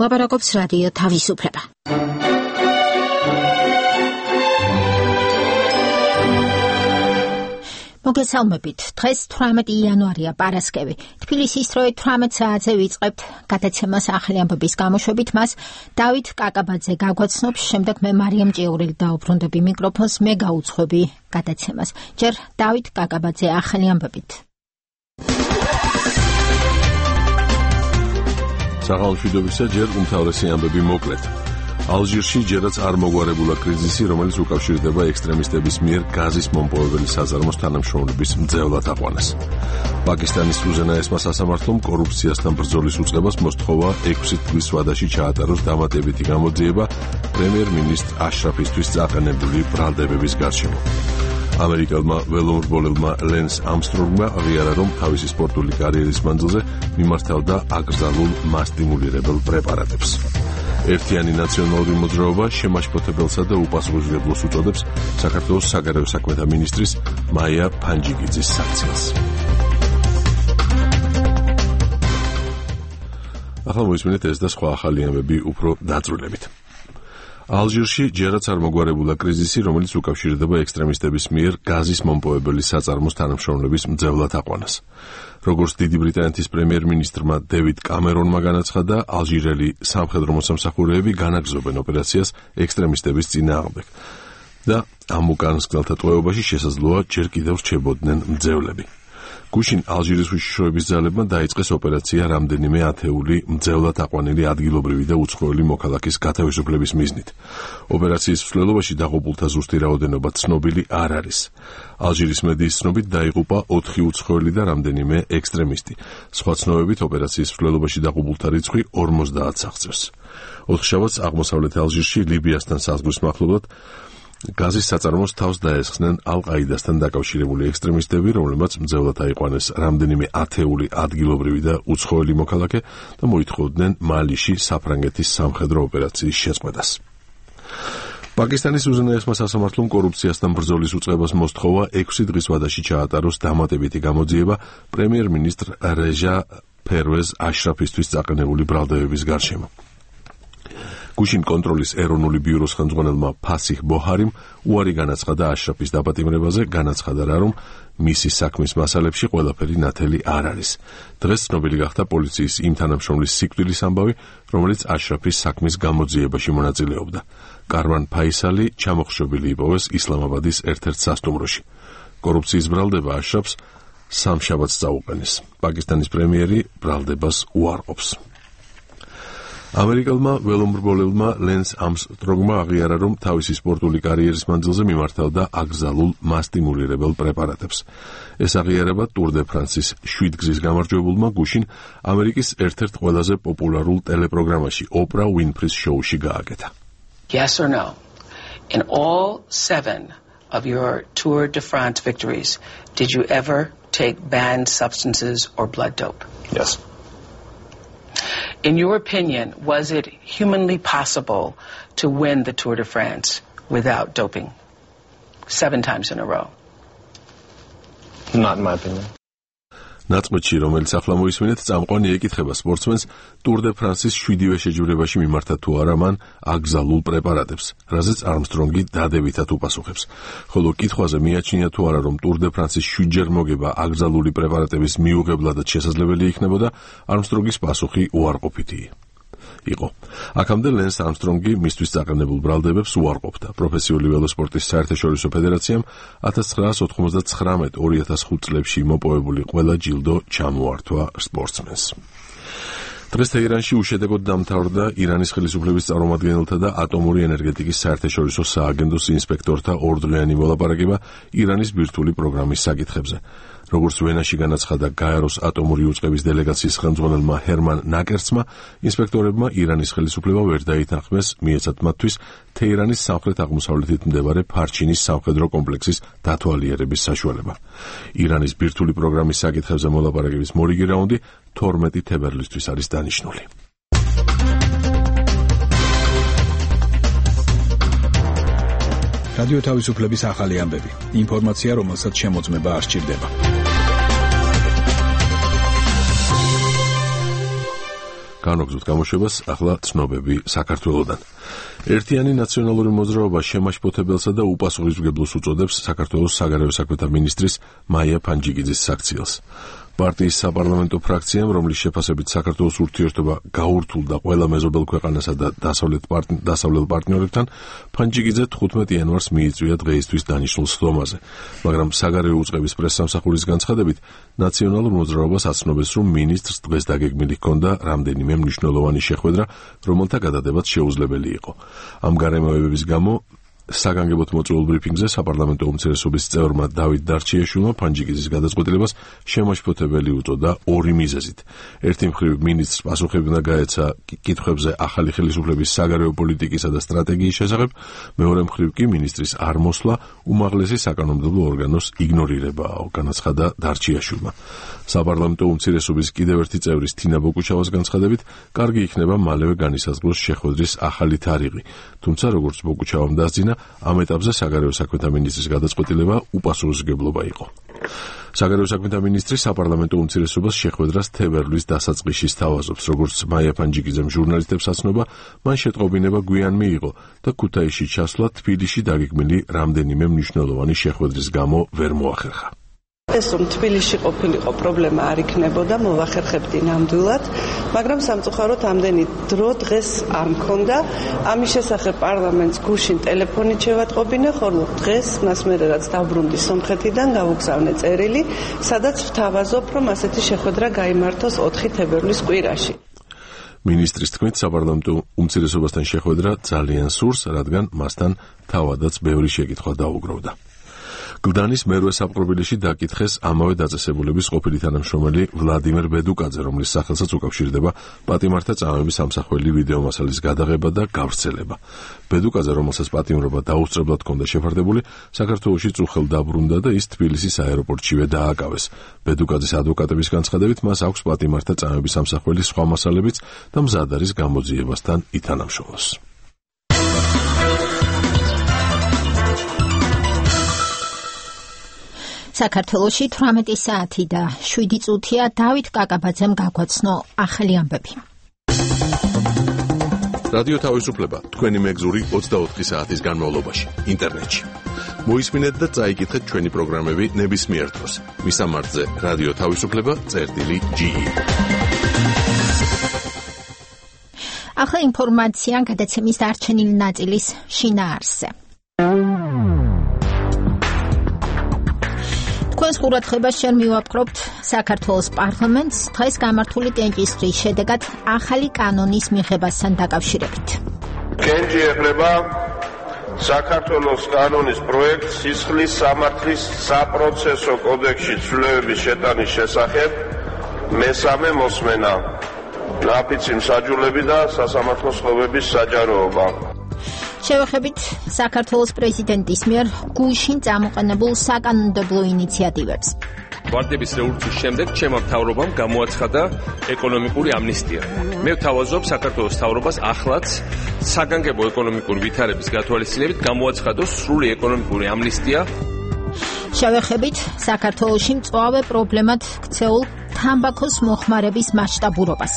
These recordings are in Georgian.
ლაპარაკობს რადიო თავისუფლება. მოგესალმებით. დღეს 18 იანვარია, პარასკევი. თბილისის დროით 18 საათზე ვიწყებთ გადაცემას ახალი ამბების გამოშვებით. მას დავით კაკაბაძე გაგვაცნობს, შემდეგ მე მარიამ ჭიაურელი დაუბრუნდები მიკროფონს, მე გაუძღვები გადაცემას. ჯერ დავით კაკაბაძე ახალი ამბებით. საღამოშვიდობისა, ჯერ უმთავრესი ამბები მოკლედ. ალჟირში ჯერაც არ მოგვარებულა კრიზისი, რომელიც უკავშირდება ექსტრემისტების მიერ გაზის მომპოვებელი საზარმოს თანამშრომლობის მძევლად აყვანას. პაკისტანის უზენაესმა სასამართლომ კორუფციასთან ბრძოლის უწყებას მოსთხოვა 6 წლის ვადაში ჩაატაროს დამატებითი გამოძიება პრემიერ-მინისტრ აშრაფისთვის წაყენებული ბრალდებების გარშემო. ამერიკელმა ველომრბოლელმა ლენს ამსტრონგმა აღიარა, რომ თავისი სპორტული კარიერის მანძილზე მიმართავდა აკრძალულ მასტიმულირებელ პრეპარატებს. ერთიანი ნაციონალური მოძრაობა შემაშფოთებელსა და უპასუხისმგებლოს უწოდებს საქართველოს საგარეო საქმეთა მინისტრის მაია ფანჯიგიძის საქციელს. ახლა მოისმინეთ ეს და სხვა ახალი ამბები უფრო დაწვრილებით. ალჟირში ჯერაც არ მოგვარებულა კრიზისი, რომელიც უკავშირდება ექსტრემისტების მიერ გაზის მომპოვებელი საწარმოს თანამშრომლობის მძევლად აყვანას. როგორც დიდი ბრიტანეთის პრემიერ-მინისტრმა დევიდ კამერონმა განაცხადა, ალჟირელი სამხედრო მოსამსახურეები განაგრძობენ ოპერაციას ექსტრემისტების წინააღმდეგ და ამ უკანასკნელთა ტყვეობაში შესაძლოა ჯერ კიდევ რჩებოდნენ მძევლები. გუშინ ალჟირის უშიშროების ძალებმა დაიწყეს ოპერაცია რამდენიმე ათეული მძევლად აყვანილი ადგილობრივი და უცხოელი მოქალაქის გათავისუფლების მიზნით. ოპერაციის მსვლელობაში დაღუპულთა ზუსტი რაოდენობა ცნობილი არ არის. ალჟირის მედიის ცნობით დაიღუპა 4 უცხოელი და რამდენიმე ექსტრემისტი. სხვა ცნობებით ოპერაციის მსვლელობაში დაღუპულთა რიცხვი 50-ს აღწევს. ოთხშაბათს აღმოსავლეთ ალჟირში ლიბიასთან საზღვრის მახლობლად გაზის საწარმოს თავს დაესხნენ ალ-ყაიდასთან დაკავშირებული ექსტრემისტები, რომლებმაც მძევლად აიყვანეს რამდენიმე ათეული ადგილობრივი და უცხოელი მოქალაქე და მოითხოვდნენ მალიში საფრანგეთის სამხედრო ოპერაციის შეწყვეტას. პაკისტანის უზენაესმა სასამართლომ კორუფციასთან ბრძოლის უწყებას მოსთხოვა 6 დღის ვადაში ჩაატაროს დამატებითი გამოძიება პრემიერ-მინისტრ რეჟა ფერვეზ აშრაფისთვის წაყენებული ბრალდებების გარშემო. გუშინ კონტროლის ეროვნული ბიუროს ხელმძღვანელმა ფასიხ ბოჰარიმ უარი განაცხადა აშრაფის დაპატიმრებაზე, განაცხადა რა, რომ მისი საქმის მასალებში ყველაფერი ნათელი არ არის. დღეს ცნობილი გახდა პოლიციის იმ თანამშრომლის სიკვდილის ამბავი, რომელიც აშრაფის საქმის გამოძიებაში მონაწილეობდა. კარვან ფაისალი ჩამოხშობილი იპოვეს ისლამაბადის ერთ-ერთ სასტუმროში. კორუფციის ბრალდება აშრაფს სამშაბათს წაუყენეს. პაკისტანის პრემიერი ბრალდებას უარყოფს. ამერიკელმა ველომრბოლელმა ლენს ამსტრონგმა აღიარა, რომ თავისი სპორტული კარიერის მანძილზე მიმართავდა აკრძალულ მასტიმულირებელ პრეპარატებს. ეს აღიარება ტურ დე ფრანსის 7 გზის გამარჯვებულმა გუშინ ამერიკის ერთ-ერთ ყველაზე პოპულარულ ტელეპროგრამაში ოპრა უინფრის შოუში გააკეთა. Yes or no? In all 7 of your Tour de France victories, did you ever take banned substances or blood dope? Yes. In your opinion, was it humanly possible to win the Tour de France without doping 7 times in a row? Not in my opinion. ნაწყვეტში, რომელიც ახლა მოისმინეთ, წამყვანი ეკითხება სპორტსმენს ტურ დე ფრანსის 7-ვე შეჯიბრებაში მიმართა თუ არა მან აკრძალულ პრეპარატებს, რაზეც არმსტრონგი დადებითად უპასუხებს. ხოლო კითხვაზე მიაჩნია თუ არა, რომ ტურ დე ფრანსის 7-ჯერ მოგება აკრძალული პრეპარატების მიუღებლადაც შესაძლებელი იქნებოდა, არმსტრონგის პასუხი უარყოფითი იყო. აქამდე ლენს ამსტრონგი მისთვის წაყენებულ ბრალდებებს უარყოფდა. პროფესიული ველოსპორტის საერთაშორისო ფედერაციამ 1999-2005 წლებში მოპოვებული ყველა ჯილდო ჩამოართვა სპორტსმენს. დღეს თეირანში უშედეგოდ დამთავრდა ირანის ხელისუფლების წარმომადგენელთა და ატომური ენერგეტიკის საერთაშორისო სააგენტოს ინსპექტორთა ორდროიანი მოლაპარაკება ირანის ბირთვული პროგრამის საკითხებზე. როგორც ვენაში განაცხადა გაეროს ატომური უწყების დელეგაციის ხელმძღვანელმა ჰერმან ნაკერცმა, ინსპექტორებმა ირანის ხელისუფლება ვერ დაითანხმეს, მიეცათ მათთვის თეირანის სამხრეთ-აღმოსავლეთით მდებარე ფარჩინის სამხედრო კომპლექსის დათვალიერების საშუალება. ირანის ბირთვული პროგრამის საკითხებზე მოლაპარაკების მორიგი რაუნდი 12 თებერვლისთვის არის დანიშნული. რადიო თავისუფლების ახალი ამბები. ინფორმაცია, რომელსაც შემოწმება არ სჭირდება. განვაგრძოთ გამოშვებას, ახლა ცნობები საქართველოდან. ერთიანი ნაციონალური მოძრაობა შემაშფოთებელსა და უპასუხისმგებლოს უწოდებს საქართველოს საგარეო საქმეთა მინისტრის მაია ფანჯიკიძის საქციელს. პარტიის საპარლამენტო ფრაქციამ, რომლის შეფასებით საქართველოს ურთიერთობა გაურთულდა ყველა მეზობელ ქვეყანასა და დასავლელ პარტნიორებთან, ფანჯიკიძე 15 იანვარს მიიწვია დღეისთვის დანიშნულ სხდომაზე, მაგრამ საგარეო უწყების პრესსამსახურის განცხადებით, ნაციონალურ მოძრაობას აცნობეს, რომ მინისტრს დღეს დაგეგმილი ჰქონდა რამდენიმე მნიშვნელოვანი შეხვედრა, რომელთა გადადებაც შეუძლებელი იყო. ამ გარემოებების გამო საგანგებოდ მოწვეულ ბრიფინგზე საპარლამენტო უმცირესობის წევრმა დავით დარჩიაშვილმა ფანჯიკიძის გადაწყვეტილებას შემაშფოთებელი უწოდა ორი მიზეზით. ერთი მხრივ მინისტრს პასუხები უნდა გაეცა კითხვებზე ახალი ხელისუფლების საგარეო პოლიტიკისა და სტრატეგიის შესახებ, მეორე მხრივ კი მინისტრის არ მოსვლა უმაღლესი საკანონმდებლო ორგანოს იგნორირებაა, განაცხადა დარჩიაშვილმა. საპარლამენტო უმცირესობის კიდევ ერთი წევრის თინა ბოკუჩავას განცხადებით, კარგი იქნება მალევე განისაზღვროს შეხვედრის ახალი თარიღი, თუმცა როგორც ბოკუჩავამ დასძინა, ამ ეტაპზე საგარეო საქმეთა მინისტრის გადაწყვეტილება უპასუხისმგებლობა იყო. საგარეო საქმეთა მინისტრი საპარლამენტო უმცირესობას შეხვედრას თებერვლის დასაწყისში სთავაზობს, როგორც მაია ფანჯიკიძემ ჟურნალისტებს აცნობა, მან შეტყობინება გვიან მიიღო და ქუთაისში ჩასვლა თბილისში დაგეგმილი რამდენიმე მნიშვნელოვანი შეხვედრის გამო ვერ მოახერხა. ეს რომ თბილისში ყოფილიყო პრობლემა არ იქნებოდა, მოვახერხებდი ნამდვილად, მაგრამ სამწუხაროდ ამდენი დრო დღეს არ მქონდა. ამის შესახებ პარლამენტს გუშინ ტელეფონით შევატყობინე, ხოლო დღეს მას მერე რაც დავბრუნდი სომხეთიდან, გავუგზავნე წერილი, სადაც ვთავაზობ, რომ ასეთი შეხვედრა გაიმართოს 4 თებერვლის კვირაში. მინისტრის თქმით, საპარლამენტო უმცირესობასთან შეხვედრა ძალიან სურს, რადგან მასთან თავადაც ბევრი შეკითხვა დაუგროვდა. გლდანის მერვე საპყრობილეში დაკითხეს ამავე დაწესებულების ყოფილი თანამშრომელი ვლადიმერ ბედუკაძე, რომლის სახელსაც უკავშირდება პატიმართა წამების ამსახველი ვიდეომასალის გადაღება და გავრცელება. ბედუკაძე, რომელსაც პატიმრობა დაუსწრებლად ჰქონდა შეფარდებული, საქართველოში წუხელ დაბრუნდა და ის თბილისის აეროპორტშივე დააკავეს. ბედუკაძის ადვოკატების განცხადებით, მას აქვს პატიმართა წამების ამსახველი სხვა მასალებიც და მზად არის გამოძიებასთან ითანამშრომლოს. საქართველოში 18 საათი და 7 წუთია დავით კაკაბაძემ გაგვაცნო ახალი ამბები. რადიო თავისუფლება თქვენი მეგზური 24 საათის განმავლობაში ინტერნეტში. მოისმინეთ და წაიკითხეთ ჩვენი პროგრამები ნებისმიერ დროს. მისამართზე რადიო თავისუფლება.ge. ახლა ინფორმაცია გადაცემის დარჩენილი ნაწილის შინაარსზე. თქვენს ყურადღებას შენ მივაპყრობთ საქართველოს პარლამენტს დღეს გამართული კენჭისყრის შედეგად ახალი კანონის მიღებასთან დაკავშირებით. კენჭი ეხება საქართველოს კანონის პროექტს სისხლის სამართლის საპროცესო კოდექსში ცვლილებების შეტანის შესახებ მესამე მოსმენა, ნაფიცი მსაჯულები და სასამართლო სხდომების საჯაროობა. შევეხებით საქართველოს პრეზიდენტის მიერ გუშინ წამოყენებულ საკანონმდებლო ინიციატივებს. ვარდების რევოლუციის შემდეგ ჩემმა მთავრობამ გამოაცხადა ეკონომიკური ამნისტია. მე ვთავაზობ საქართველოს მთავრობას ახლაც საგანგებო ეკონომიკური ვითარების გათვალისწინებით გამოაცხადოს სრული ეკონომიკური ამნისტია. შევეხებით საქართველოში მწვავე პრობლემად ქცეულ თამბაქოს მოხმარების მასშტაბურობას.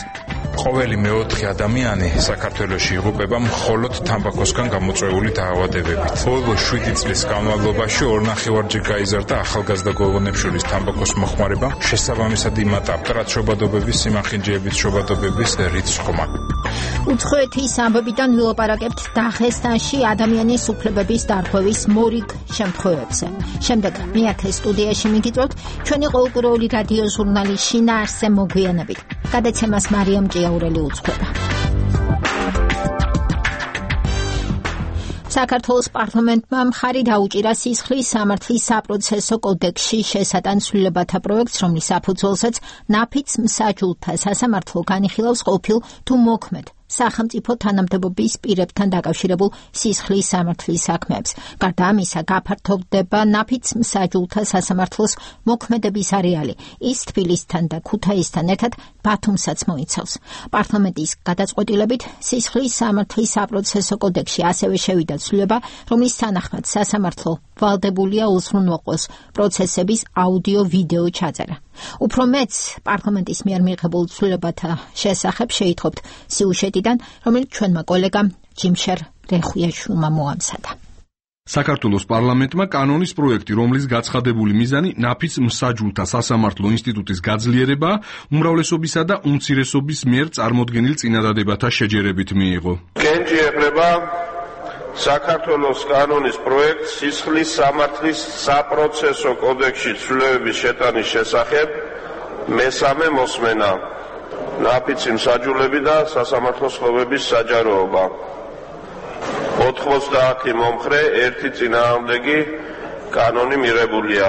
ყოველი მეოთხე ადამიანი საქართველოში იღუპება მხოლოდ თამბაქოსგან გამოწვეული დაავადებებით. ბოლო 7 წლის განმავლობაში 2.5-ჯერ გაიზარდა ახალგაზრდა გოგონებს შორის თამბაქოს მოხმარება, შესაბამისად იმატა მტრად-შობადობების, სიმახინჯეების შობადობების რიცხვ ხმა. უცხოეთის ამბებიდან ვილაპარაკებთ დაღესტანში ადამიანის უფლებების დარღვევის მორიგ შემთხვევებზე. შემდეგ მეათე სტუდიაში მიგიწევთ ჩვენი ყოველკვირეული რადიო ჟურნალის შინაარსზე მოგვიანებით. გადაცემას მარიამ ჭიაურელი უძღვება. საქართველოს პარლამენტმა მხარი დაუჭირა სისხლის სამართლის საპროცესო კოდექსში შესატან ცვლილებათა პროექტს, რომლის საფუძველზეც ნაფიც მსაჯულთა სასამართლო განიხილავს ყოფილ თუ მოქმედ სახელმწიფო თანამდებობის პირებთან დაკავშირებულ სისხლის სამართლის საქმეებს. გარდა ამისა, გაფართოვდება ნაფიც მსაჯულთა სასამართლოს მოქმედების არეალი. ის თბილისთან და ქუთაისთან ერთად ბათუმსაც მოიცავს. პარლამენტის გადაწყვეტილებით სისხლის სამართლის საპროცესო კოდექსში ასევე შევიდა ცვლილება, რომლის თანახმად სასამართლო ვალდებულია უზრუნველყოს პროცესების აუდიო-ვიდეო ჩაწერა. უფრო მეც პარლამენტის მიერ მიღებულ ცვლილებათა შესახებ შეითხოვთ სიუჟეტიდან, რომელიც ჩვენმა კოლეგამ ჯიმშერ რეხუიაშვილმა მოამზადა. საქართველოს პარლამენტმა კანონის პროექტი, რომლის გაცხადებული მიზანი ნაფიც მსაჯულთა სასამართლო ინსტიტუტის გაძლიერება, უმრავლესობისა და უმცირესობის მიერ წარმოდგენილ წინადადებათა შეჯერებით მიიღო. კენჭი ეხება საქართველოს კანონის პროექტს სისხლის სამართლის საპროცესო კოდექსში ცვლილებების შეტანის შესახებ მესამე მოსმენა. ნაფიცი მსაჯულები და სასამართლო სხდომების საჯაროობა. 90 მომხრე, 1 წინააღმდეგი კანონი მიღებულია.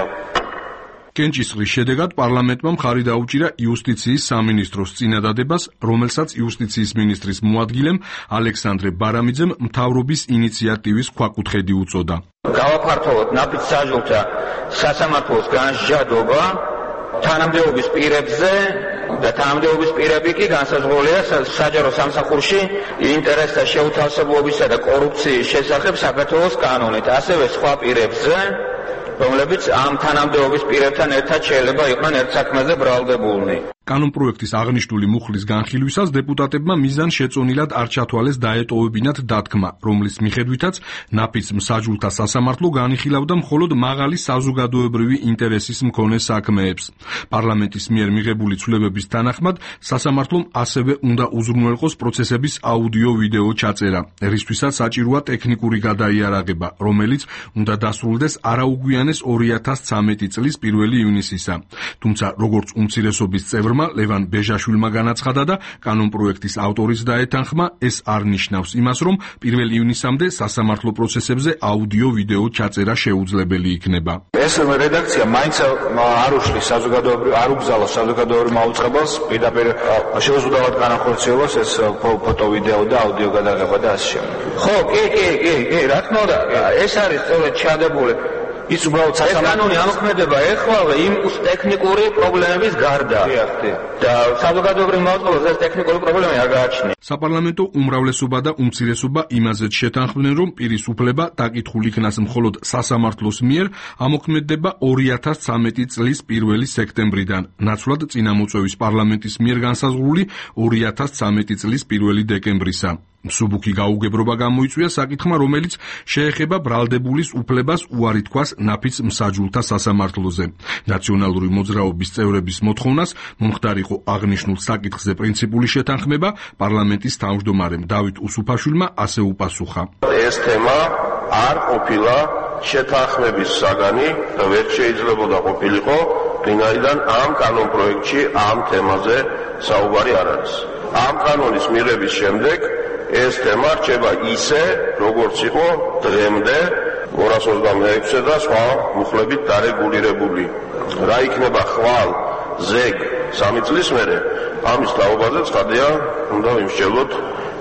კენჭისყრის შედეგად პარლამენტმა მხარი დაუჭირა იუსტიციის სამინისტროს წინადადებას, რომელსაც იუსტიციის მინისტრის მოადგილემ ალექსანდრე ბარამიძემ მთავრობის ინიციატივის ქვაკუთხედი უწოდა. გავაფართოვოთ ნაფიც მსაჯულთა სასამართლოს განსჯადობა თანამდებობის პირებზე და თანამდებობის პირები კი განსაზღვრულია საჯარო სამსახურში ინტერესთა შეუთავსებლობისა და კორუფციის შესახებ საქართველოს კანონით, ასევე სხვა პირებზე, რომლებიც ამ თანამდებობის პირებთან ერთად შეიძლება იყვნენ ერთ საქმეზე ბრალდებულნი. კანონპროექტის აღნიშნული მუხლის განხილვისას დეპუტატებმა მიზან შეწონილად არ ჩათვალეს დაეტოვებინათ დათქმა, რომლის მიხედვითაც ნაფიც მსაჯულთა სასამართლო განიხილავდა მხოლოდ მაღალი საზოგადოებრივი ინტერესის მქონე საქმეებს. პარლამენტის მიერ მიღებული ცვლილებების თანახმად სასამართლომ ასევე უნდა უზრუნველყოს პროცესების აუდიო-ვიდეო ჩაწერა, რისთვისაც საჭიროა ტექნიკური გადაიარაღება, რომელიც უნდა დასრულდეს არაუგვიანეს 2013 წლის 1 ივნისისა. თუმცა, როგორც უმცირესობის წევრ ლევან ბეჟაშვილმა განაცხადა და კანონპროექტის ავტორის დაეთანხმა, ეს არ ნიშნავს იმას, რომ 1 ივნისამდე სასამართლო პროცესებზე აუდიო-ვიდეო ჩაწერა შეუძლებელი იქნება. ეს რედაქცია მაინც არ უშლის არ უბრძალოს საზოგადოებრივ მაუწყებელს პირდაპირ შეუძლებლად განახორციელოს ეს ფოტო-ვიდეო და აუდიო გადაღება და ასე შემდეგ. ხო, კი, რა თქმა უნდა, ეს არის სწორედ ჩადებული. ის უბრალოდ კანონი ამოქმედება ეხლავე იმ ტექნიკური პრობლემების გარდა. და საზოგადოებრივ მაუწყებელს ეს ტექნიკური პრობლემა არ გააჩნია. საპარლამენტო უმრავლესობა და უმცირესობა იმაზეც შეთანხმდნენ, რომ პირის უფლება დაკითხული იქნას მხოლოდ სასამართლოს მიერ ამოქმედება 2013 წლის 1 სექტემბრიდან, ნაცვლად წინამოწვევის პარლამენტის მიერ განსაზღვრული 2013 წლის 1 დეკემბრისა. მსუბუქი გაუგებრობა გამოიწვია საკითხმა, რომელიც შეეხება ბრალდებულის უფლებას უარი თქვას ნაფიც მსაჯულთა სასამართლოზე. ნაციონალური მოძრაობის წევრების მოთხოვნას მომხდარიყო აღნიშნულ საკითხზე პრინციპული შეთანხმება, პარლამენტის თავმჯდომარემ დავით უსუფაშვილმა ასე უპასუხა. ეს თემა არ ყოფილა შეთანხმების საგანი და ვერ შეიძლებოდა ყოფილიყო, ვინაიდან ამ კანონპროექტში ამ თემაზე საუბარი არ არის. ამ კანონის მიღების შემდეგ ეს თემა რჩება ისე, როგორც იყო დღემდე 226 და სხვა მუხლებით დარეგულირებული. რა იქნება ხვალ, ზეგ 3 წლის მერე, ამის თაობაზე ცხადია, უნდა ვიმსჯელოთ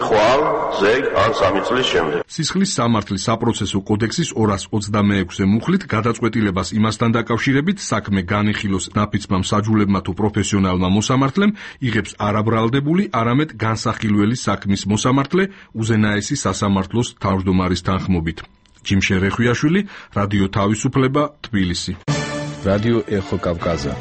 ხვალ, ზეგ ან 3 წლის შემდეგ. სისხლის სამართლის საპროცესო კოდექსის 226 მუხლით გადაწყვეტილებას იმასთან დაკავშირებით საქმე განიხილოს ნაფიცმა მსაჯულებმა თუ პროფესიონალმა მოსამართლემ იღებს არაბრალდებული, არამედ განსახილველი საქმის მოსამართლე უზენაესი სასამართლოს თავმჯდომარის თანხმობით. ჯიმშერ რეხუიაშვილი, რადიო თავისუფლება, თბილისი. რადიო ეხო კავკაზა.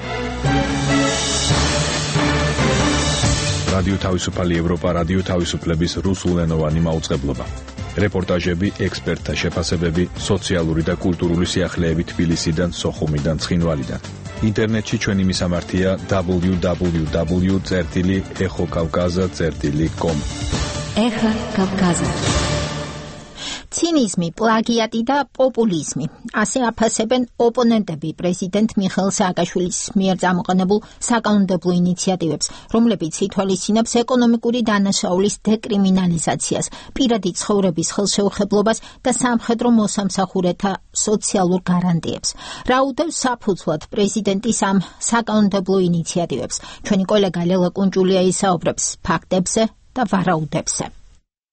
რადიო თავისუფალი ევროპა, რადიო თავისუფლების რუსულენოვანი მაუწყებლობა. რეპორტაჟები, ექსპერტთა შეფასებები, სოციალური და კულტურული სიახლეები თბილისიდან, სოხუმიდან, ცხინვალიდან. ინტერნეტში ჩვენი მისამართია www.exokavkaza.com. ეხა კავკაზა. ცინიზმი, პლაგიატი და პოპულიზმი. ასე აფასებენ ოპონენტები პრეზიდენტ მიხეილ სააკაშვილის მიერ წამოყენებულ საკანონმდებლო ინიციატივებს, რომლებიც ითვალისწინებს ეკონომიკური დანაშაულის დეკრიმინალიზაციას, პირადი ცხოვრების ხელშეუხებლობას და სამხედრო მოსამსახურეთა სოციალურ გარანტიებს. რა უდევს საფუძვლად პრეზიდენტის ამ საკანონმდებლო ინიციატივებს? ჩვენი კოლეგა ლელა კუნჭულია ისაუბრებს ფაქტებზე და ვარაუდებზე.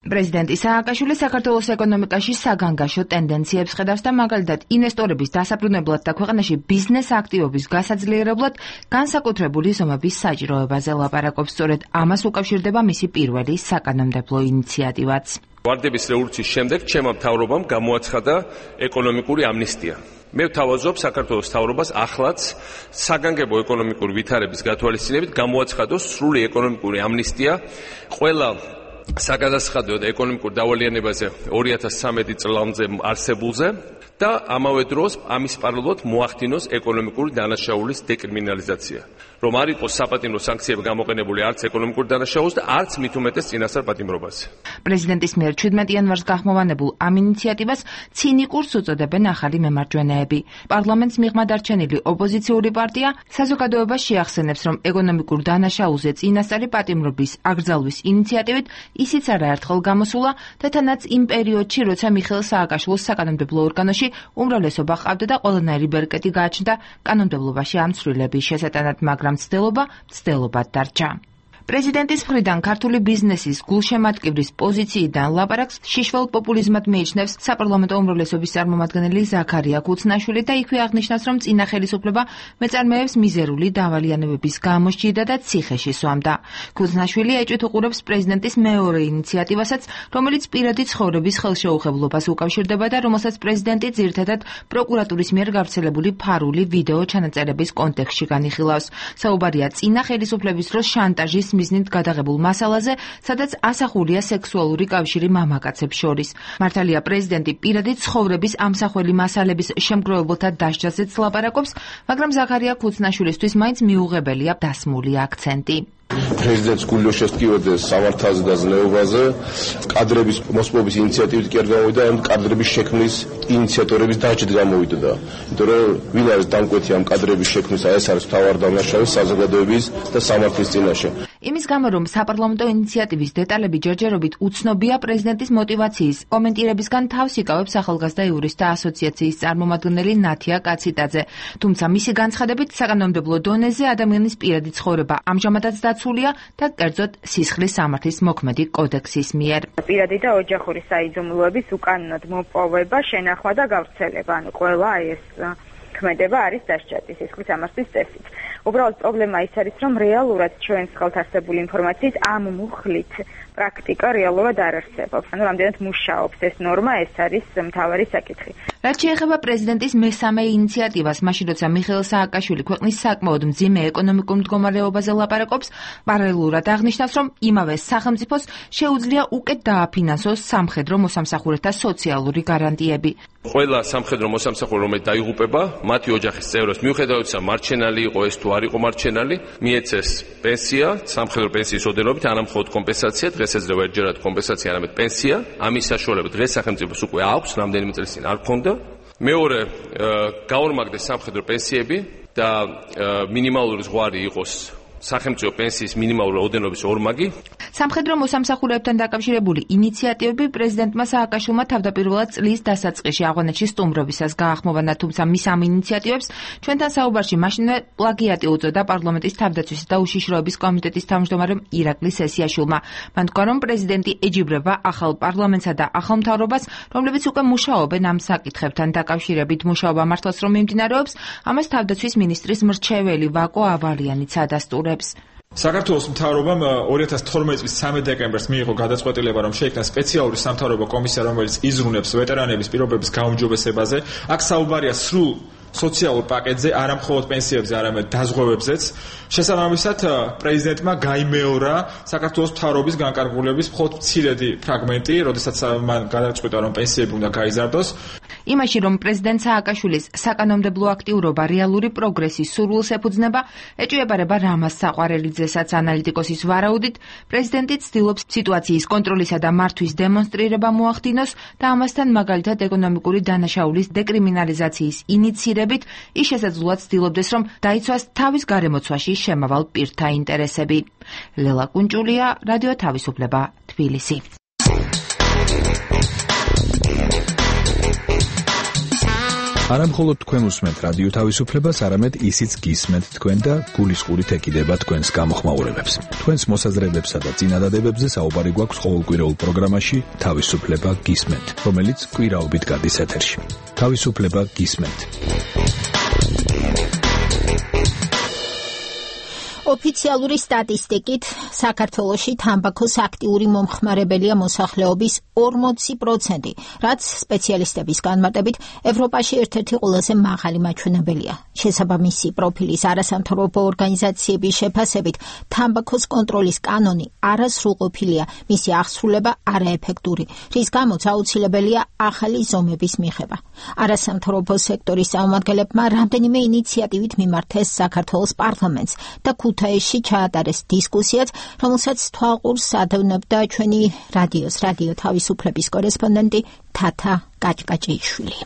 პრეზიდენტი სააკაშვილი საქართველოს ეკონომიკაში საგანგაშო ტენდენციებს ხედავს და მაგალითად ინვესტორების დასაბრუნებლად და ქვეყანაში ბიზნეს აქტივობის გასაძლიერებლად განსაკუთრებული ზომების საჭიროებაზე ლაპარაკობს. სწორედ ამას უკავშირდება მისი პირველი საკანონმდებლო ინიციატივაც. ვარდების რევოლუციის შემდეგ ჩემმა მთავრობამ გამოაცხადა ეკონომიკური ამნისტია. მე ვთავაზობ საქართველოს მთავრობას ახლაც საგანგებო ეკონომიკური ვითარების გათვალისწინებით გამოაცხადოს სრული ეკონომიკური ამნისტია ყველა საგადასახადო და ეკონომიკურ დავალიანებაზე 2013 წლამდე არსებულზე და ამავე დროს ამის პარალელურად მოახდინოს ეკონომიკური დანაშაულის დეკრიმინალიზაცია. რომ არ იყოს საპატიმრო სანქციები გამოყენებული არც ეკონომიკურ დანაშაულს და არც მით უმეტეს წინასწარ პატიმრობაზე. პრეზიდენტის მიერ 17 იანვარს გახმოვანებულ ამ ინიციატივას ცინიკურს უწოდებენ ახალი მემარჯვენეები. პარლამენტს მიღმა დარჩენილი ოპოზიციური პარტია საზოგადოებას შეახსენებს, რომ ეკონომიკურ დანაშაულზე წინასწარი პატიმრობის აკრძალვის ინიციატივით ისიც არაერთხელ გამოსულა და თანაც იმ პერიოდში, როცა მიხეილ სააკაშვილის საკანონმდებლო ორგანოში უმრავლესობა ჰყავდა და ყველანაირი ბერკეტი გააჩნდა კანონმდებლობაში ამ ცვლილების შესატანად, მაგრამ მცდელობად დარჩა. პრეზიდენტის მხრიდან ქართული ბიზნესის გულშემატკივრის პოზიციიდან ლაპარაკს შიშველ პოპულიზმად მიიჩნევს საპარლამენტო უმრავლესობის წარმომადგენელი ზაქარია ქუცნაშვილი და იქვე აღნიშნავს, რომ წინა ხელისუფლება მეწარმეებს მიზერული დავალიანებების გამო სჭირდა და ციხეში სვამდა. ქუცნაშვილი ეჭვით უყურებს პრეზიდენტის მეორე ინიციატივასაც, რომელიც პირადი ცხოვრების ხელშეუხებლობას უკავშირდება და რომელსაც პრეზიდენტი ძირითადად პროკურატურის მიერ გავრცელებული ფარული ვიდეო ჩანაწერების კონტექსტში განიხილავს. საუბარია წინა ხელისუფლების დროს შანტაჟის მიზნით გადაღებულ მასალაზე, სადაც ასახულია სექსუალური კავშირი მამაკაცებს შორის. მართალია პრეზიდენტი პირადი ცხოვრების ამსახველი მასალების შემგროვებელთა დასჯაზეც ლაპარაკობს, მაგრამ ზაქარია ქუცნაშვილისთვის მაინც მიუღებელია დასმული აქცენტი. პრეზიდენტს გულო შესტკივერდეს სამართალზე და ზნეობაზე კადრების მოსპობის ინიციატივით კი არ გამოვიდა, ამ კადრების შექმნის ინიციატორების დაჭრით გამოვიდა. იმიტომ რომ ვინ არის დამკვეთი ამ კადრების შექმნისა, ეს არის მთავარი დამნაშავე საზოგადოების და სამართლის წინაშე. იმის გამო, რომ საპარლამენტო ინიციატივის დეტალები ჯერჯერობით უცნობია, პრეზიდენტის მოტივაციის კომენტირებისგან თავს იკავებს ახალგაზრდა იურისტთა ასოციაციის წარმომადგენელი ნათია კაციტაძე. თუმცა მისი განცხადებით საკანონმდებლო დონეზე ადამიანის პირადი ცხოვრება ამჟამადაც დაცულია და კერძოდ სისხლის სამართლის მოქმედი კოდექსის მიერ. პირადი და ოჯახური საიდუმლოების უკანონოდ მოპოვება, შენახვა და გავრცელება, ანუ ყველა ეს ქმედება არის დასჯადი სისხლის სამართლის წესით. უბრალოდ პრობლემა ის არის, რომ რეალურად ჩვენს ხელთ არსებული ინფორმაციის ამ მუხლით პრაქტიკა რეალურად არ არსებობს. ანუ რამდენად მუშაობს ეს ნორმა, ეს არის მთავარი საკითხი. რაც შეეხება პრეზიდენტის მესამე ინიციატივას, მაშინ როცა მიხეილ სააკაშვილი ქვეყნის საკმაოდ მძიმე ეკონომიკურ მდგომარეობაზე ლაპარაკობს, პარალელურად აღნიშნავს, რომ იმავე სახელმწიფოს შეუძლია უკეთ დააფინანსოს სამხედრო მოსამსახურეთა სოციალური გარანტიები. ყველა სამხედრო მოსამსახურე, რომელიც დაიღუპება, მათი ოჯახის წევრებს, მიუხედავად ისა მარჩენალი იყო ეს თუ არ იყო მარჩენალი, მიეცეს პენსია, სამხედრო პენსიის ოდენობით, არა მხოლოდ კომპენსაცია, დღეს ეძლევა ერთჯერად კომპენსაცია, არამედ პენსია. ამის საშუალება დღეს სახელმწიფოს უკვე აქვს, რამდენიმე წლის წინ არ ქონდა. მეორე, გაორმაგდეს სამხედრო პენსიები და მინიმალური ზღვარი იყოს სახელმწიფო პენსიის მინიმალური ოდენობის ორმაგი. სამხედრო მოსამსახურეებთან დაკავშირებული ინიციატივები პრეზიდენტმა სააკაშვილმა თავდაპირველად წლის დასაწყისში ავღანეთში სტუმრობისას გაახმოვანა, თუმცა მის ამ ინიციატივებს ჩვენთან საუბარში მაშინვე პლაგიატი უწოდა პარლამენტის თავდაცვისა და უშიშროების კომიტეტის თავმჯდომარემ ირაკლი სესიაშვილმა. მან თქვა, რომ პრეზიდენტი ეჯიბრება ახალ პარლამენტსა და ახალ მთავრობას, რომლებიც უკვე მუშაობენ ამ საკითხებთან დაკავშირებით. მუშაობა მართლაც რომ მიმდინარეობს, ამას თავდაცვის მინისტრის მრჩეველი ვაკო ავალიანიც ადასტურებს. საქართველოს მთავრობამ 2012 წლის 13 დეკემბერს მიიღო გადაწყვეტილება, რომ შეიქმნა სპეციალური სამთავრობო კომისია, რომელიც იზრუნებს ვეტერანების პირობების გაუმჯობესებაზე. აქ საუბარია სრულ სოციალურ პაკეტზე, არა მხოლოდ პენსიებზე, არამედ დაზღვევებზეც. შესაბამისად, პრეზიდენტმა გაიმეორა საქართველოს მთავრობის განკარგულების მხოლოდ მცირედი ფრაგმენტი, როდესაც მან გადაწყვიტა, რომ პენსიები უნდა გაიზარდოს. იმაში, რომ პრეზიდენტ სააკაშვილის საკანონმდებლო აქტიურობა რეალური პროგრესის სურვილს ეფუძნება, ეჭვიებარება რამაზ საყვარელიძესაც. ანალიტიკოსის ვარაუდით, პრეზიდენტი ცდილობს სიტუაციის კონტროლისა და მართვის დემონსტრირება მოახდინოს და ამასთან მაგალითად ეკონომიკური დანაშაულის დეკრიმინალიზაციის ინიცირებით ის შესაძლოა ცდილობდეს, რომ დაიცვას თავის გარემოცვაში შემავალ პირთა ინტერესები. ლელა კუნჭულია, რადიო თავისუფლება, თბილისი. არა მხოლოდ თქვენ უსმენთ რადიო თავისუფლებას, არამედ ისიც გისმენთ თქვენ და გულისყურით ეკიდება თქვენს გამოხმაურებებს. თქვენს მოსაზრებებსა და წინადადებებზე საუბარი გვაქვს ყოველკვირეულ პროგრამაში თავისუფლება გისმენთ, რომელიც კვირაობით გადის ეთერში. თავისუფლება გისმენთ. ოფიციალური სტატისტიკით საქართველოში თამბაქოს აქტიური მომხმარებელია მოსახლეობის 40%, რაც სპეციალისტების განმარტებით ევროპაში ერთ-ერთი ყველაზე მაღალი მაჩვენებელია. შესაბამისი პროფილის არასამთავრობო ორგანიზაციების შეფასებით, თამბაქოს კონტროლის კანონი არასრულყოფილია, მისი აღსრულება არაეფექტური, რის გამოც აუცილებელია ახალი ზომების მიღება. არასამთავრობო სექტორის წარმომადგენლებმა რამდენიმე ინიციატივით მიმართეს საქართველოს პარლამენტს და ქუთაისში ჩაატარეს დისკუსიაც, რომელსაც თვალყურს ადევნებდა ჩვენი რადიო თავისუფლების კორესპონდენტი თათა კაჭკაჭიშვილი.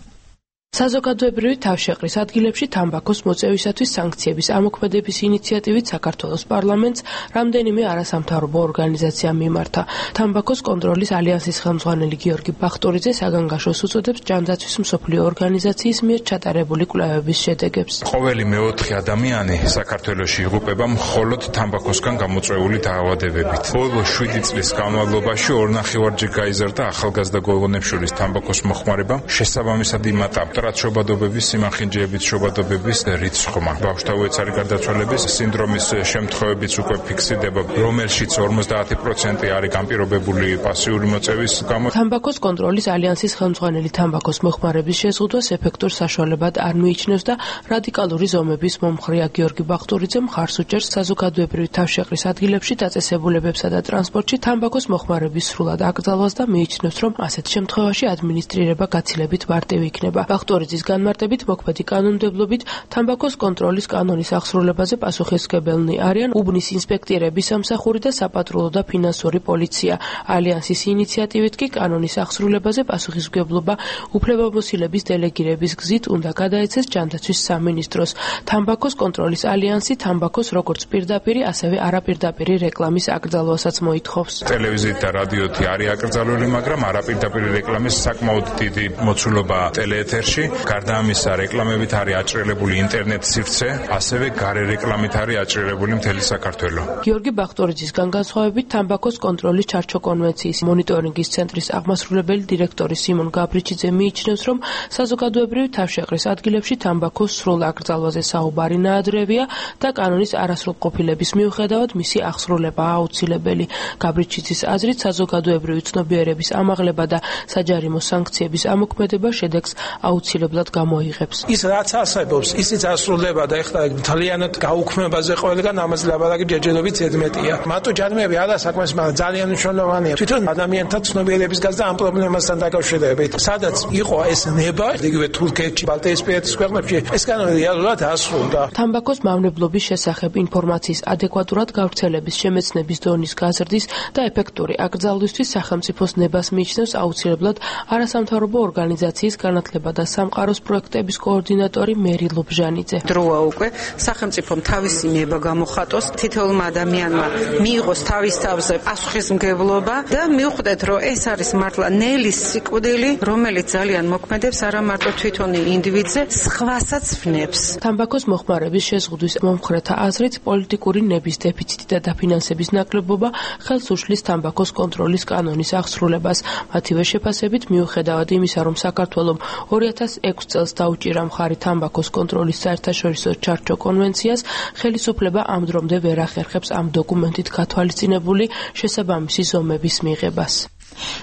საზოგადოებრივი თავშეყრის ადგილებში თამბაქოს მოწევისათვის სანქციების ამოქმედების ინიციატივით საქართველოს პარლამენტს რამდენიმე არასამთავრობო ორგანიზაცია მიმართა. თამბაქოს კონტროლის ალიანსის ხელმძღვანელი გიორგი ბახტურიძე საგანგაშოს უწოდებს ჯანდაცვის მსოფლიო ორგანიზაციის მიერ ჩატარებული კვლევების შედეგებს. ყოველი მეოთხე ადამიანი საქართველოში იღუპება მხოლოდ თამბაქოსგან გამოწვეული დაავადებებით. ბოლო 7 წლის განმავლობაში 2.5-ჯერ გაიზარდა ახალგაზრდა გოგონებს შორის თამბაქოს მოხმარება, შესაბამისად იმატა შობადობების, სიმახინჯეების შობადობების რიცხვმა. ბავშვთა უეცარი გარდაცვალების სინდრომის შემთხვევებიც უკვე ფიქსირდება, რომელშიც 50% არის განპირობებული პასიური მოწევის გამო. თამბაქოს კონტროლის ალიანსის ხელმძღვანელი თამბაქოს მოხმარების შეზღუდვას ეფექტურ საშუალებად არ მიიჩნევს და რადიკალური ზომების მომხრეა გიორგი ბახტურიძე მხარს უჭერს საზოგადოებრივი თავშეყრის ადგილებში დაწესებულებებსა და ტრანსპორტში თამბაქოს მოხმარების სრულად აკრძალვას და მიიჩნევს, რომ ასეთ შემთხვევაში ადმინისტრირება გაცილებით მარტივი იქნება. ბახტურიძის განმარტებით მოქმედი კანონმდებლობით თამბაქოს კონტროლის კანონის აღსრულებაზე პასუხისმგებელნი არიან უბნის ინსპექტირების სამსახური და საპატრულო და ფინანსური პოლიცია. ალიანსის ინიციატივით კი კანონის აღსრულებაზე პასუხისმგებლობა უფლებამოსილების დელეგირების გზით უნდა გადაეცეს ჯანდაცვის სამინისტროს. თამბაქოს კონტროლის ალიანსი თამბაქოს როგორც პირდაპირი, ასევე არაპირდაპირი რეკლამის აკრძალვასაც მოითხოვს. ტელევიზიით და რადიოთი არის აკრძალული, მაგრამ არაპირდაპირი რეკლამის საკმაოდ დიდი მოცულობა ტელეეთერში. გარდა ამისა, რეკლამებით არის აჭრილებული ინტერნეტ სივრცე, ასევე გარე რეკლამით არის აჭრილებული მთელი საქართველო. გიორგი ბახტურიძისგან განსხვავებით, თამბაქოს კონტროლის ჩარჩო კონვენციის მონიტორინგის ცენტრის აღმასრულებელი დირექტორი სიმონ გაბრიჩიძე მიიჩნევს, რომ საზოგადოებრივი თავშეყრის ადგილებში თამბაქოს სრულ აკრძალვაზე საუბარი ნაადრევია და კანონის არასრულყოფილების მიუხედავად მისი აღსრულებაა აუცილებელი. გაბრიჩიძის აზრით, საზოგადოებრივი ცნობიერების ამაღლება და საჯარიმო სანქციების ამოქმედება შედეგს აუცილებლად გამოიღებს. ის რაც ასებობს, ისიც ასრულდება და ეხლა ძალიანად გაუქმებაზე ყველგან ამაზე ლაბარაკი ჯერჯერობით ზედმეტია. მარტო ჯარიმები არა საკმაოდ, მაგრამ ძალიან მნიშვნელოვანია. თვითონ ადამიანთა ცნობიერების გაზრდა ამ პრობლემასთან დაკავშირებით. სადაც იყო ეს ნება, იგივე თურქეთში, ბალტიისპირეთის ქვეყნებში, ეს კანონი რეალურად ასრულდა. თამბაქოს მავნებლობის შესახებ ინფორმაციის ადეკვატურად გავრცელების, შემეცნების დონის გაზრდის და ეფექტური აკრძალვისთვის სახელმწიფოს ნებას მიიჩნევს აუცილებლად არასამთავრობო ორგანიზაციის განათლება და სამყაროს პროექტების კოორდინატორი მერი ლობჟანიძე. დროა უკვე სახელმწიფომ თავისი ნება გამოხატოს, თითოეულმა ადამიანმა მიიღოს თავის თავზე პასუხისმგებლობა და მიუხვდეთ, რომ ეს არის მართლა ნელის სიკვდილი, რომელიც ძალიან მოქმედებს არა მარტო თვითონ ინდივიდზე, სხვასაც ვნებს. თამბაქოს მოხმარების შეზღუდვის მომხრეთა აზრით, პოლიტიკური ნების დეფიციტი და დაფინანსების ნაკლებობა ხელს უშლის თამბაქოს კონტროლის კანონის აღსრულებას. მათივე შეფასებით, მიუხედავად იმისა, რომ საქართველოს 2006 წელს დაუჭირა მხარი თამბაქოს კონტროლის საერთაშორისო ჩარჩო კონვენციას, ხელისუფლება ამ დრომდე ვერ ახერხებს ამ დოკუმენტით გათვალისწინებული შესაბამისი ზომების მიღებას.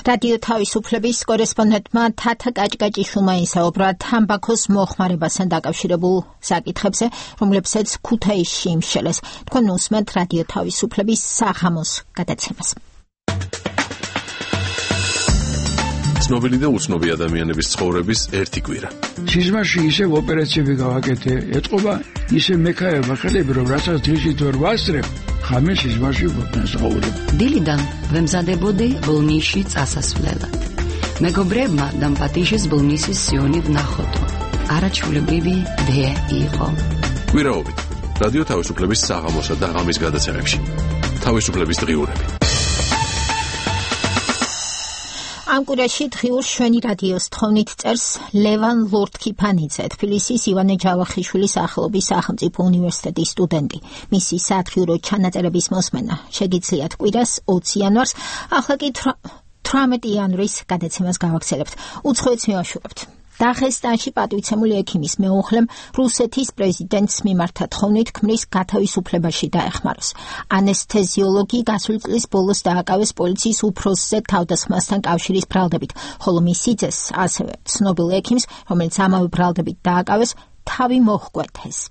რადიო თავისუფლების კორესპონდენტმა თათა კაჭკაჭიშვილმა ისაუბრა თამბაქოს მოხმარებასთან დაკავშირებულ საკითხებზე, რომლებსაც ქუთაისში იმსჯელეს. თქვენ უსმენთ რადიო თავისუფლების საღამოს გადაცემას. ცნობილი და უცნობი ადამიანების ცხოვრების ერთი კვირა. სიზმარში ისევ ოპერაციები გავაკეთე, ეთყობა ისე მექაება ხელები, რომ რასაც დღისით ვერ ვასწრებ, ხამე სიზმარში ვფასაუბრებ. დილიდან ვემზადებოდი ბოლნისში წასასვლელად. მეგობრებმა დამპატიშეს ბოლნისის სიონი ვნახოდო. არაჩვეულებრივი დე იყო. კვირაობით რადიო თავისუფლების საღამოსა და ღამის გადაცემებში. თავისუფლების დღიურები. ამ კვირაში დღიურ შვენი რადიოს თხოვნით წერს ლევან ლორთქიფანიძე, თბილისის ივანე ჯავახიშვილის სახელობის სახელმწიფო უნივერსიტეტის სტუდენტი. მისი სათხიურო ჩანაწერების მოსმენა შეგიძლიათ კვირას 20 იანვარს, ახლა კი 18 იანვრის გადაცემას გავაგრძელებთ. უცხოეთს მივაშურებთ. დაღესტანში პატივცემული ექიმის მეუღლემ რუსეთის პრეზიდენტს მიმართა თხოვნით ქმრის გათავისუფლებაში დაეხმაროს. ანესთეზიოლოგი გასული წლის ბოლოს დააკავეს პოლიციის უფროსზე თავდასხმასთან კავშირის ბრალდებით, ხოლო მისი ძეს, ასევე ცნობილ ექიმს, რომელიც ამავე ბრალდებით დააკავეს, თავი მოჰკვეთეს.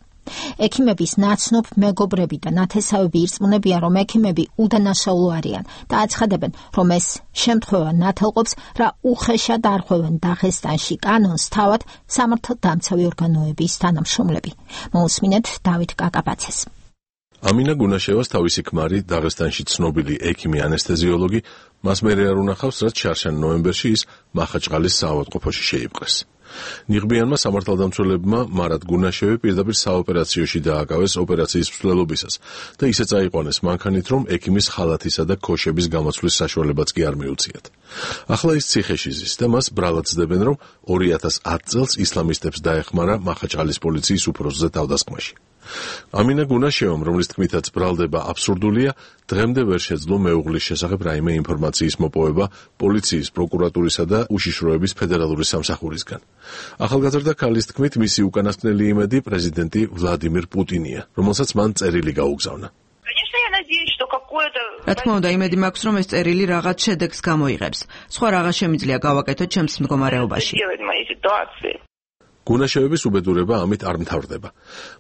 ექიმების ნაცნობ მეგობრები და ნათესავები ირწმუნებიან, რომ ექიმები უდანაშაულო არიან და აცხადებენ, რომ ეს შემთხვევა ნათელყოფს, რა უხეშად არღვევენ დაღესტანში კანონს თავად სამართალდამცავი ორგანოების თანამშრომლები. მოусმინეთ დავით კაკაბაძეს. ამინა გუნაშევას თავისი ქმარი, დაღესტანში ცნობილი ექიმი ანესთეზიოლოგი, მას მერე არ უნახავს, რაც შარშან ნოემბერში ის მახაჩყალის საავადმყოფოში შეიპყრეს. ნიღბიანმა სამართალდამცველებმა მარად გუნაშევი პირდაპირ საოპერაციოში დააკავეს ოპერაციის მსვლელობისას და ისე წაიყვანეს მანქანით, რომ ექიმის ხალათისა და ქოშების გამოცვლის საშუალებაც კი არ მიუციათ. ახლა ის ციხეში ზის და მას ბრალად ცდებენ, რომ 2010 წელს ისლამისტებს დაეხმარა მახაჩყალის პოლიციის უფროსზე თავდასხმაში. ამინა გუნაშევამ, რომლის თქმითაც ბრალდება აბსურდულია, დღემდე ვერ შეძლო მეუღლის შესახებ რაიმე ინფორმაციის მოპოვება პოლიციის, პროკურატურისა და უშიშროების ფედერალური სამსახურისგან. ახალგაზრდა ქალის თქმით, მისი უკანასკნელი იმედი პრეზიდენტი ვლადიმირ პუტინია, რომელსაც მან წერილი გაუგზავნა. რა თქმა უნდა, იმედი მაქვს, რომ ეს წერილი რაღაც შედეგს გამოიღებს. სხვა რაღაც შემიძლია გავაკეთოთ ჩემს მდგომარეობაში. გუნაშევების უბედურება ამით არ მთავრდება.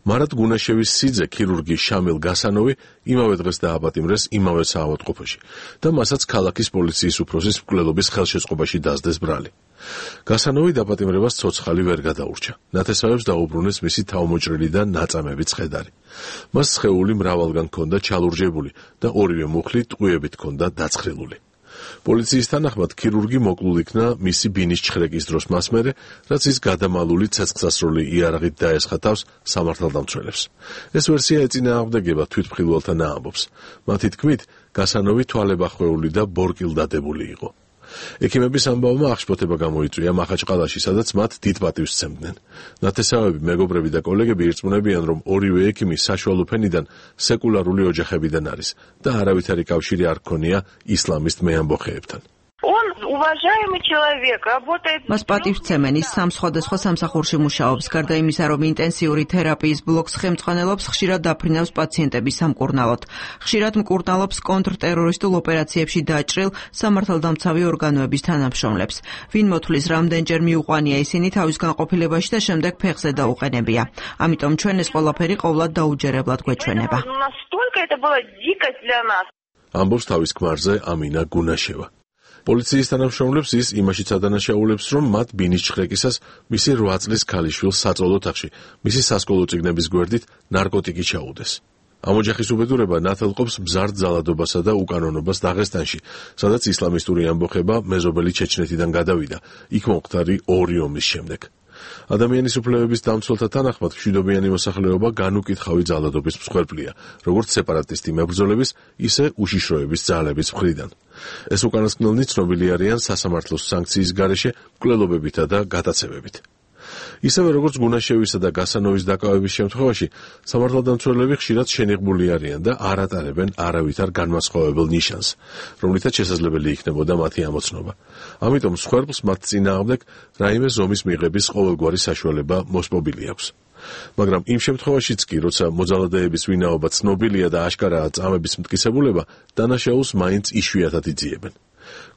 მარად გუნაშევის სიძე, ქირურგი შამილ გასანოვი, იმავე დღეს დააპატიმრეს იმავე საავადმყოფოში და მასაც ქალაქის პოლიციის უფროსის მკვლელობის ხელშეწყობაში დასდეს ბრალი. გასანოვი დაპატიმრებას ცოცხალი ვერ გადაურჩა. ნათესავებს დაუბრუნეს მისი თავმოჭრილი და ნაწამები ცხედარი. მას სხეული მრავალგან ჰქონდა ჩალურჯებული და ორივე მუხლი ტყუებით ჰქონდა დაცხრილული. პოლიციის თანახმად ქირურგი მოკლულ იქნა მისი ბინის ჩხრეკის დროს მას მერე, რაც ის გადამალული ცეცხლსასროლი იარაღით დაესხა თავს სამართალდამცველებს. ეს ვერსია ეწინააღმდეგება თვითმხილველთა ამბობს. მათი თქმით, გასანოვი თვალებახვეული და ბორკილდადებული იყო. ექიმების ამბავმა აღშფოთება გამოიწვია მახაჩყალაში, სადაც მათ დიდ პატივს სცემდნენ. ნათესავები, მეგობრები და კოლეგები ირწმუნებიან, რომ ორივე ექიმი საშუალო ფენიდან სეკულარული ოჯახებიდან არის და არავითარი კავშირი არ ჰქონია ისლამისტ მეამბოხეებთან. მას პატივსცემენ, ის სამ სხვადასხვა სამსახურში მუშაობს, გარდა იმისა, რომ ინტენსიური თერაპიის ბლოკს ხელმძღვანელობს, ხშირად დაფრინავს პაციენტების სამკურნალოდ. ხშირად მკურნალობს კონტრტერორისტულ ოპერაციებში დაჭრილ სამართალდამცავი ორგანოების თანამშრომლებს. ვინ მოთვლის, რამდენჯერ მიუყვანია ისინი თავის განყოფილებაში და შემდეგ ფეხზე დაუყენებია. ამიტომ ჩვენ ეს ყველაფერი ყოვლად დაუჯერებლად გვეჩვენება. ამბობს თავის ქმარზე ამინა გუნაშევა. პოლიციის თანამშრომლებს ის იმაშიც ადანაშაულებს, რომ მათ ბინის ჩხრეკისას მისი 8 წლის ქალიშვილს საწოლ ოთახში, მისი სასკოლო წიგნების გვერდით ნარკოტიკი ჩაუდეს. ამ ოჯახის უბედურება ნათელყოფს მზარდ ძალადობასა და უკანონობას დაღესტანში, სადაც ისლამისტური ამბოხება მეზობელი ჩეჩნეთიდან გადავიდა, იქ მომხდარი 2 ომის შემდეგ. ადამიანის უფლებების დამცველთა თანახმად მშვიდობიანი მოსახლეობა განუკითხავი ძალადობის მსხვერპლია, როგორც სეპარატისტი მებრძოლების, ისე უშიშროების ძალების მხრიდან. ეს უკანასკნელნი ცნობილი არიან სასამართლოს სანქციის გარეშე მკვლელობებითა და გატაცებებით. ისევე როგორც გუნაშევისა და გასანოვის დაკავების შემთხვევაში, სამართალდამცველები ხშირად შენიღბული არიან და არ ატარებენ არავითარ განმასხვავებელ ნიშანს, რომლითაც შესაძლებელი იქნებოდა მათი ამოცნობა. ამიტომ მსხვერპლს მათ წინააღმდეგ რაიმე ზომის მიღების ყოველგვარი საშუალება მოსპობილი აქვს. მაგრამ იმ შემთხვევაშიც კი, როცა მოძალადეების ვინაობა ცნობილია და აშკარაა წამების მტკიცებულება, დანაშაულს მაინც იშვიათად იძიებენ.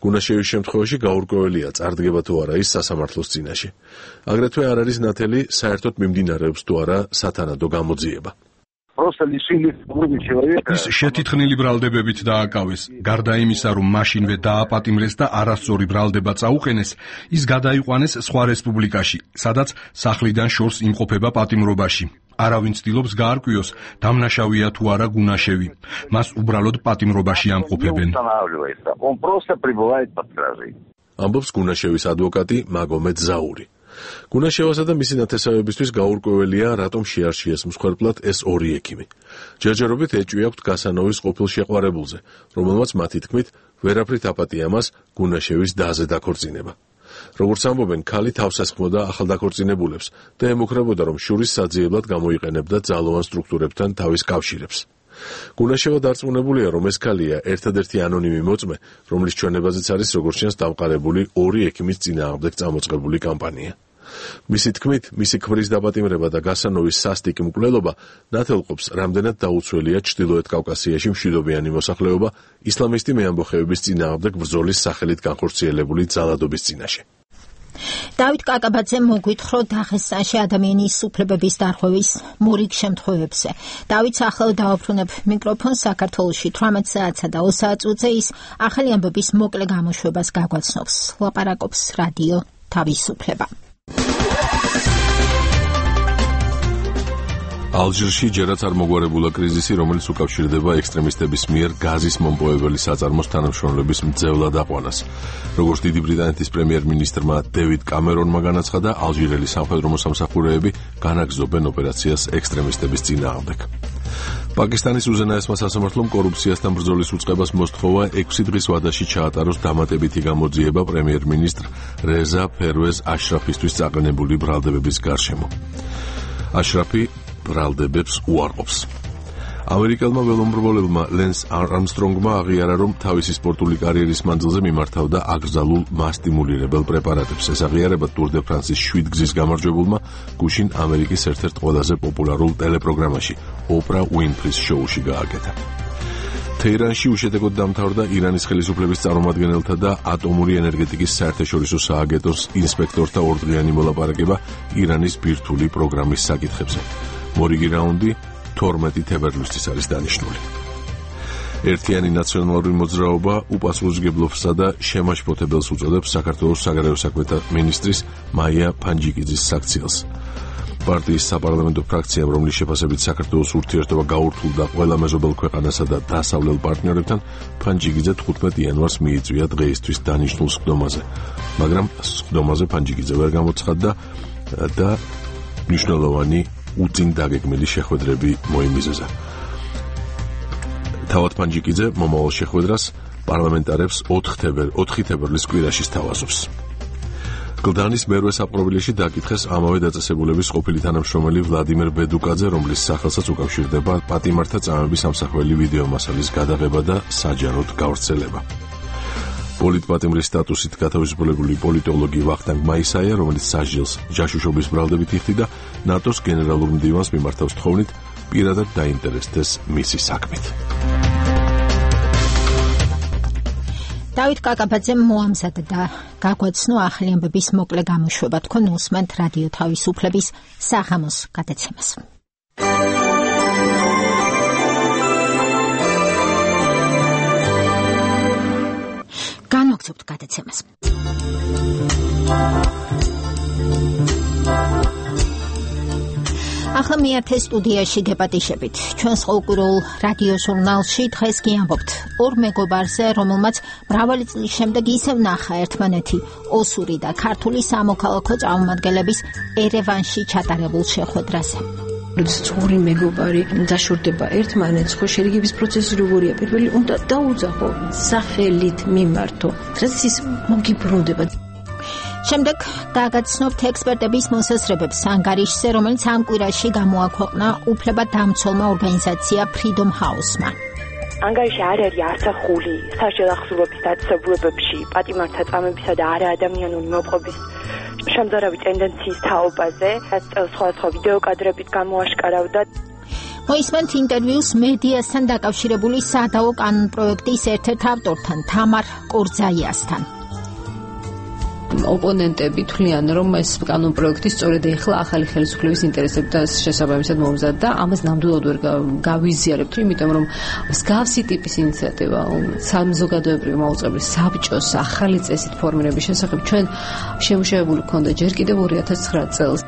გუნაშევის შემთხვევაში გაურკვეველია, წარდგება თუ არა ის სასამართლოს წინაშე. აგრეთვე არ არის ნათელი, საერთოდ მიმდინარეობს თუ არა სათანადო გამოძიება. ის შეთითხნილი ბრალდებებით დააკავეს. გარდა იმისა, რომ მაშინვე დააპატიმრეს და არასწორი ბრალდება წაუყენეს, ის გადაიყვანეს სხვა რესპუბლიკაში, სადაც სახლიდან შორს იმყოფება პატიმრობაში. არავინ ცდილობს გაარკვიოს, დამნაშავეა თუ არა გუნაშევი. მას უბრალოდ პატიმრობაში ამყოფებენ. ამბობს გუნაშევის ადვოკატი მაგომედ ზაური. გუნაშევასა და მისი ნათესავებისთვის გაურკვეველია, რატომ შეარჩიეს მსხვერპლად ეს ორი ექიმი. ჯერჯერობით ეჭვი აქვთ გასანოვის ყოფილ შეყვარებულზე, რომელმაც მათი თქმით ვერაფრით აპატია მას გუნაშევის დაზე დაქორწინება. როგორც ამბობენ, ქალი თავს ესხმოდა ახალდაქორწინებულებს და ემუქრებოდა, რომ შურის საძიებლად გამოიყენებდა ძალოვან სტრუქტურებთან თავის კავშირებს. გუნაშევა დარწმუნებულია, რომ ეს ქალია ერთადერთი ანონიმი მოწმე, რომლის ჩვენებაზეც არის როგორც ჩანს დამყარებული ორი ექიმის წინააღმდეგ წამოწყებული კამპანია. მისი თქმით, მისი ქმრის დაპატიმრება და გასანოვის სასტიკი მკვლელობა ნათელყოფს, რამდენად დაუცველია ჩრდილოეთ კავკასიაში მშვიდობიანი მოსახლეობა ისლამისტი მეამბოხეების წინააღმდეგ ბრძოლის სახელით განხორციელებული ძალადობის წინაშე. დავით კაკაბაძე მოგვითხრა დაღესტანში ადამიანის უფლებების დარღვევის მორიგ შემთხვევებზე. დავით ახლა დავაფრთხნებ მიკროფონს საქართველოში 18 საათსა და 20 საათზე ის ახალი ამბების მოკლე გამოშვებას გაგვაცნობს. ლაპარაკობს რადიო თავისუფლება. ალჟირში ჯერაც არ მოგვარებულა კრიზისი, რომელიც უკავშირდება ექსტრემისტების მიერ გაზის მომპოვებელი საწარმოს თანამშრომლების მძევლად აყვანას. როგორც დიდი ბრიტანეთის პრემიერ-მინისტრმა დევიდ კამერონმა განაცხადა, ალჟირელი სამხედრო მოსამსახურეები განაგრძობენ ოპერაციას ექსტრემისტების წინააღმდეგ. პაკისტანის უზენაესმა სასამართლომ კორუფციასთან ბრძოლის უწყებას მოსთხოვა 6 დღის ვადაში ჩაატაროს დამატებითი გამოძიება პრემიერ-მინისტრ რეზა ფერვეზ აშრაფისთვის წაყენებული ბრალდებების გარშემო. აშრაფი ბრალდებებს უარყოფს. ამერიკელმა ველომრბოლებმა ლენს არმსტრონგმა აღიარა, რომ თავისი სპორტული კარიერის მანძილზე მიმართავდა აკრძალულ მასტიმულირებელ პრეპარატებს. ეს აღიარება ტურ დე ფრანსის 7 გზის გამარჯვებულმა გუშინ ამერიკის ერთ-ერთ ყველაზე პოპულარულ ტელეპროგრამაში, ოპრა უინფრის შოუში გააკეთა. თეირანში უშედეგოდ დამთავრდა ირანის ხელისუფლების წარმომადგენელთა და ატომური ენერგეტიკის საერთაშორისო სააგენტოს ინსპექტორთა ორდღიანი მოლაპარაკება ირანის ბირთვული პროგრამის საკითხებზე. მორიგი რაუნდი 12 თებერვლისთვის არის დანიშნული. ერთიანი ნაციონალური მოძრაობა უპასუხისმგებლობსა და შემაშფოთებელს უწოდებს საქართველოს საგარეო საქმეთა მინისტრის მაია ფანჯიკიძის საქციელს. პარტიის საპარლამენტო ფრაქციამ, რომლის შეფასებით საქართველოს ურთიერთობა გაურთულდა ყველა მეზობელ ქვეყანასა და დასავლელ პარტნიორებთან, ფანჯიკიძე 15 იანვარს მიიწვია დღეისთვის დანიშნულ სხდომაზე, მაგრამ სხდომაზე ფანჯიკიძე ვერ გამოცხადდა და მნიშვნელოვანი უწინ დაგეგმილი შეხვედრები მოიმიზეზა. თავად ფანჯიკიძე მომავალ შეხვედრას პარლამენტარებს 4 თებერვლის კვირაში სთავაზობს. გლდანის მერვე საპყრობილეში დაკითხეს ამავე დაწესებულების ყოფილი თანამშრომელი ვლადიმერ ბედუკაძე, რომლის სახელსაც უკავშირდება პატიმართა წამების ამსახველი ვიდეო მასალის გადაღება და საჯაროდ გავრცელება. პოლიტპატიმრის სტატუსით გათავისუფლებული პოლიტოლოგი ვახტანგ მაისაია, რომელიც სასჯელს ჯაშუშობის ბრალდებით იხდიდა, ნატოს გენერალურ მდივანს მიმართავს თხოვნით პირადად დაინტერესდეს მისი საქმით. დავით კაკაბაძემ მოამზადა და გაგვაცნო ახალი ამბების მოკლე გამოშვება. თქვენ უსმენთ რადიო თავისუფლების საღამოს გადაცემას. განვაგრძობთ გადაცემას. ახლა მიერთე სტუდიაში გეპატიშებით. ჩვენს ყოველკვირეულ რადიო ჟურნალში დღეს გიამბობთ ორ მეგობარზე, რომელმაც მრავალი წლის შემდეგ ისევ ნახა ერთმანეთი ოსური და ქართული სამოქალაქო წარმომადგენლების ერევანში ჩატარებულ შეხვედრაზე. როდესაც ორი მეგობარი დაშორდება ერთმანეთს, ხო შერიგების პროცესი როგორია? პირველი უნდა დაუძახო, სახელით მიმართო, რაც ის მოგიბრუნდება. შემდეგ დაგაცნობთ ექსპერტების მოსაზრებებს ანგარიშზე, რომელიც ამ კვირაში გამოაქვეყნა უფლებადამცველმა ორგანიზაცია Freedom House-მა. ანგარიში არ არის არცახული საშელახსოვრობის დაწესებულებებში პატიმართა წამებისა და არაადამიანური მოპყრობის შემზარავი ტენდენციის თაობაზე, რაც სხვადასხვა ვიდეო კადრებით გამოაშკარავდა. მოისმენთ ინტერვიუს მედიასთან დაკავშირებული სადაო კანონპროექტის ერთ-ერთ ავტორთან, თამარ კორძაიასთან. ოპონენტები თვლიან, რომ ეს კანონპროექტი სწორედ ეხლა ახალი ხელისუფლების ინტერესებთან შესაბამისად მომზადდა და ამას ნამდვილად ვერ გავიზიარებთ, იმიტომ რომ მსგავსი ტიპის ინიციატივა საზოგადოებრივი მაუწყებლის საბჭოს ახალი წესით ფორმირების შესახებ ჩვენ შემუშავებული გვქონდა ჯერ კიდევ 2009 წელს.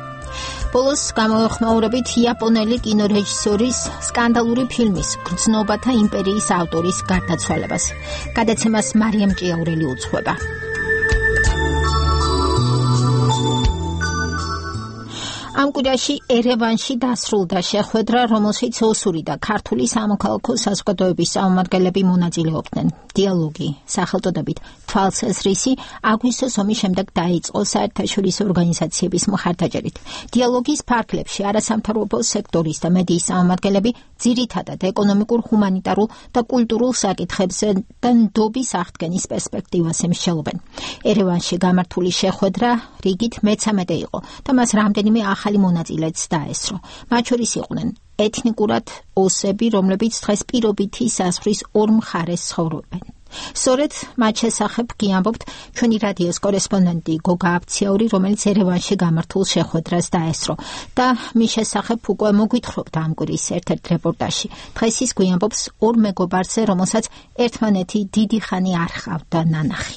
ბოლოს გამოეხმაურებით იაპონელი კინორეჟისორის სკანდალური ფილმის გრძნობათა იმპერიის ავტორის გარდაცვალებას. გადაცემას მარიამ ჭიაურელი უძღვება. ამ კვირაში ერევანში დასრულდა შეხვედრა, რომელშიც ოსური და ქართული სამოქალაქო საზოგადოების წარმომადგენლები მონაწილეობდნენ. დიალოგი, სახელწოდებით თვალსაზრისი, აგვისტოს ომის შემდეგ დაიწყო საერთაშორისო ორგანიზაციების მხარდაჭერით. დიალოგის ფარგლებში არასამთავრობო სექტორის და მედიის წარმომადგენლები ძირითადად ეკონომიკურ, ჰუმანიტარულ და კულტურულ საკითხებზე და ნდობის აღდგენის პერსპექტივას ემსჯელობენ. ერევანში გამართული შეხვედრა რიგით მე-13 იყო და მას რამდენიმე ახალი მონაწილეც დაესწრო. მათ შორის იყვნენ ეთნიკურად ოსები, რომლებიც დღეს პირობითი საზღვრის ორ მხარეს ცხოვრობენ. სწორედ მათ შესახებ გიამბობთ ჩვენი რადიოს კორესპონდენტი გოგა აბციაური, რომელიც ერევანში გამართულ შეხვედრას დაესწრო და მის შესახებ უკვე მოგვითხრობთ ამ კვირის ერთ-ერთ რეპორტაჟში. დღეს ის გვიამბობს ორ მეგობარზე, რომელსაც ერთმანეთი დიდი ხანი არ ჰყავდა ნანახი.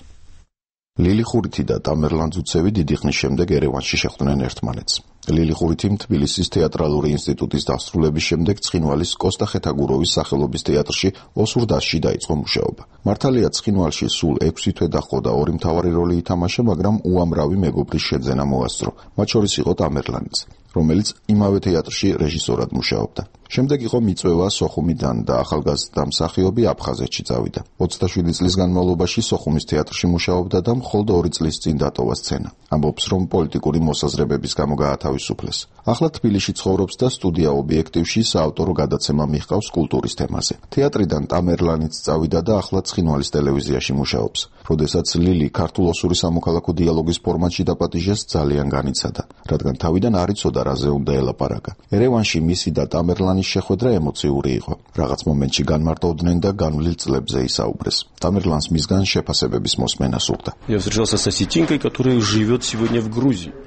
ლილი ხურითი და ტამერლან ძუცევი დიდი ხნის შემდეგ ერევანში შეხვდნენ ერთმანეთს. ლილი ხურითი თბილისის თეატრალური ინსტიტუტის დასრულების შემდეგ ცხინვალის კოსტა ხეთაგუროვის სახელობის თეატრში ოსურ დასში დაიწყო მუშაობა. მართალია ცხინვალში სულ 6 თვე დაჰყო და 2 მთავარი როლი ითამაშა, მაგრამ უამრავი მეგობრის შეძენა მოასწრო. მათ შორის იყო ტამერლანიც, რომელიც იმავე თეატრში რეჟისორად მუშაობდა. შემდეგ იყო მიწვევა სოხუმიდან და ახალგაზრდა მსახიობი აფხაზეთში წავიდა. 27 წლის განმავლობაში სოხუმის თეატრში მუშაობდა და მხოლოდ 2 წლის წინ დატოვა სცენა. ამბობს, რომ პოლიტიკური მოსაზრებების გამო გაათავისუფლეს. ახლა თბილისში ცხოვრობს და სტუდია ობიექტივში საავტორო გადაცემა მიჰყავს კულტურის თემაზე. თეატრიდან ტამერლანიც წავიდა და ახლა ცხინვალის ტელევიზიაში მუშაობს. როდესაც ლილი ქართულ-ოსური სამოქალაქო დიალოგის ფორმატში დაპატიჟეს, ძალიან განიცადა, რადგან თავიდან არ იცოდა რაზე უნდა ელაპარაკა. ერევანში მისი და ტამერლანის შეხვედრა ემოციური იყო. რაღაც მომენტში განმარტოვდნენ და განვლილ წლებზე ისაუბრეს. ტამერლანს მისგან შეფასებების მოსმენა სურდა.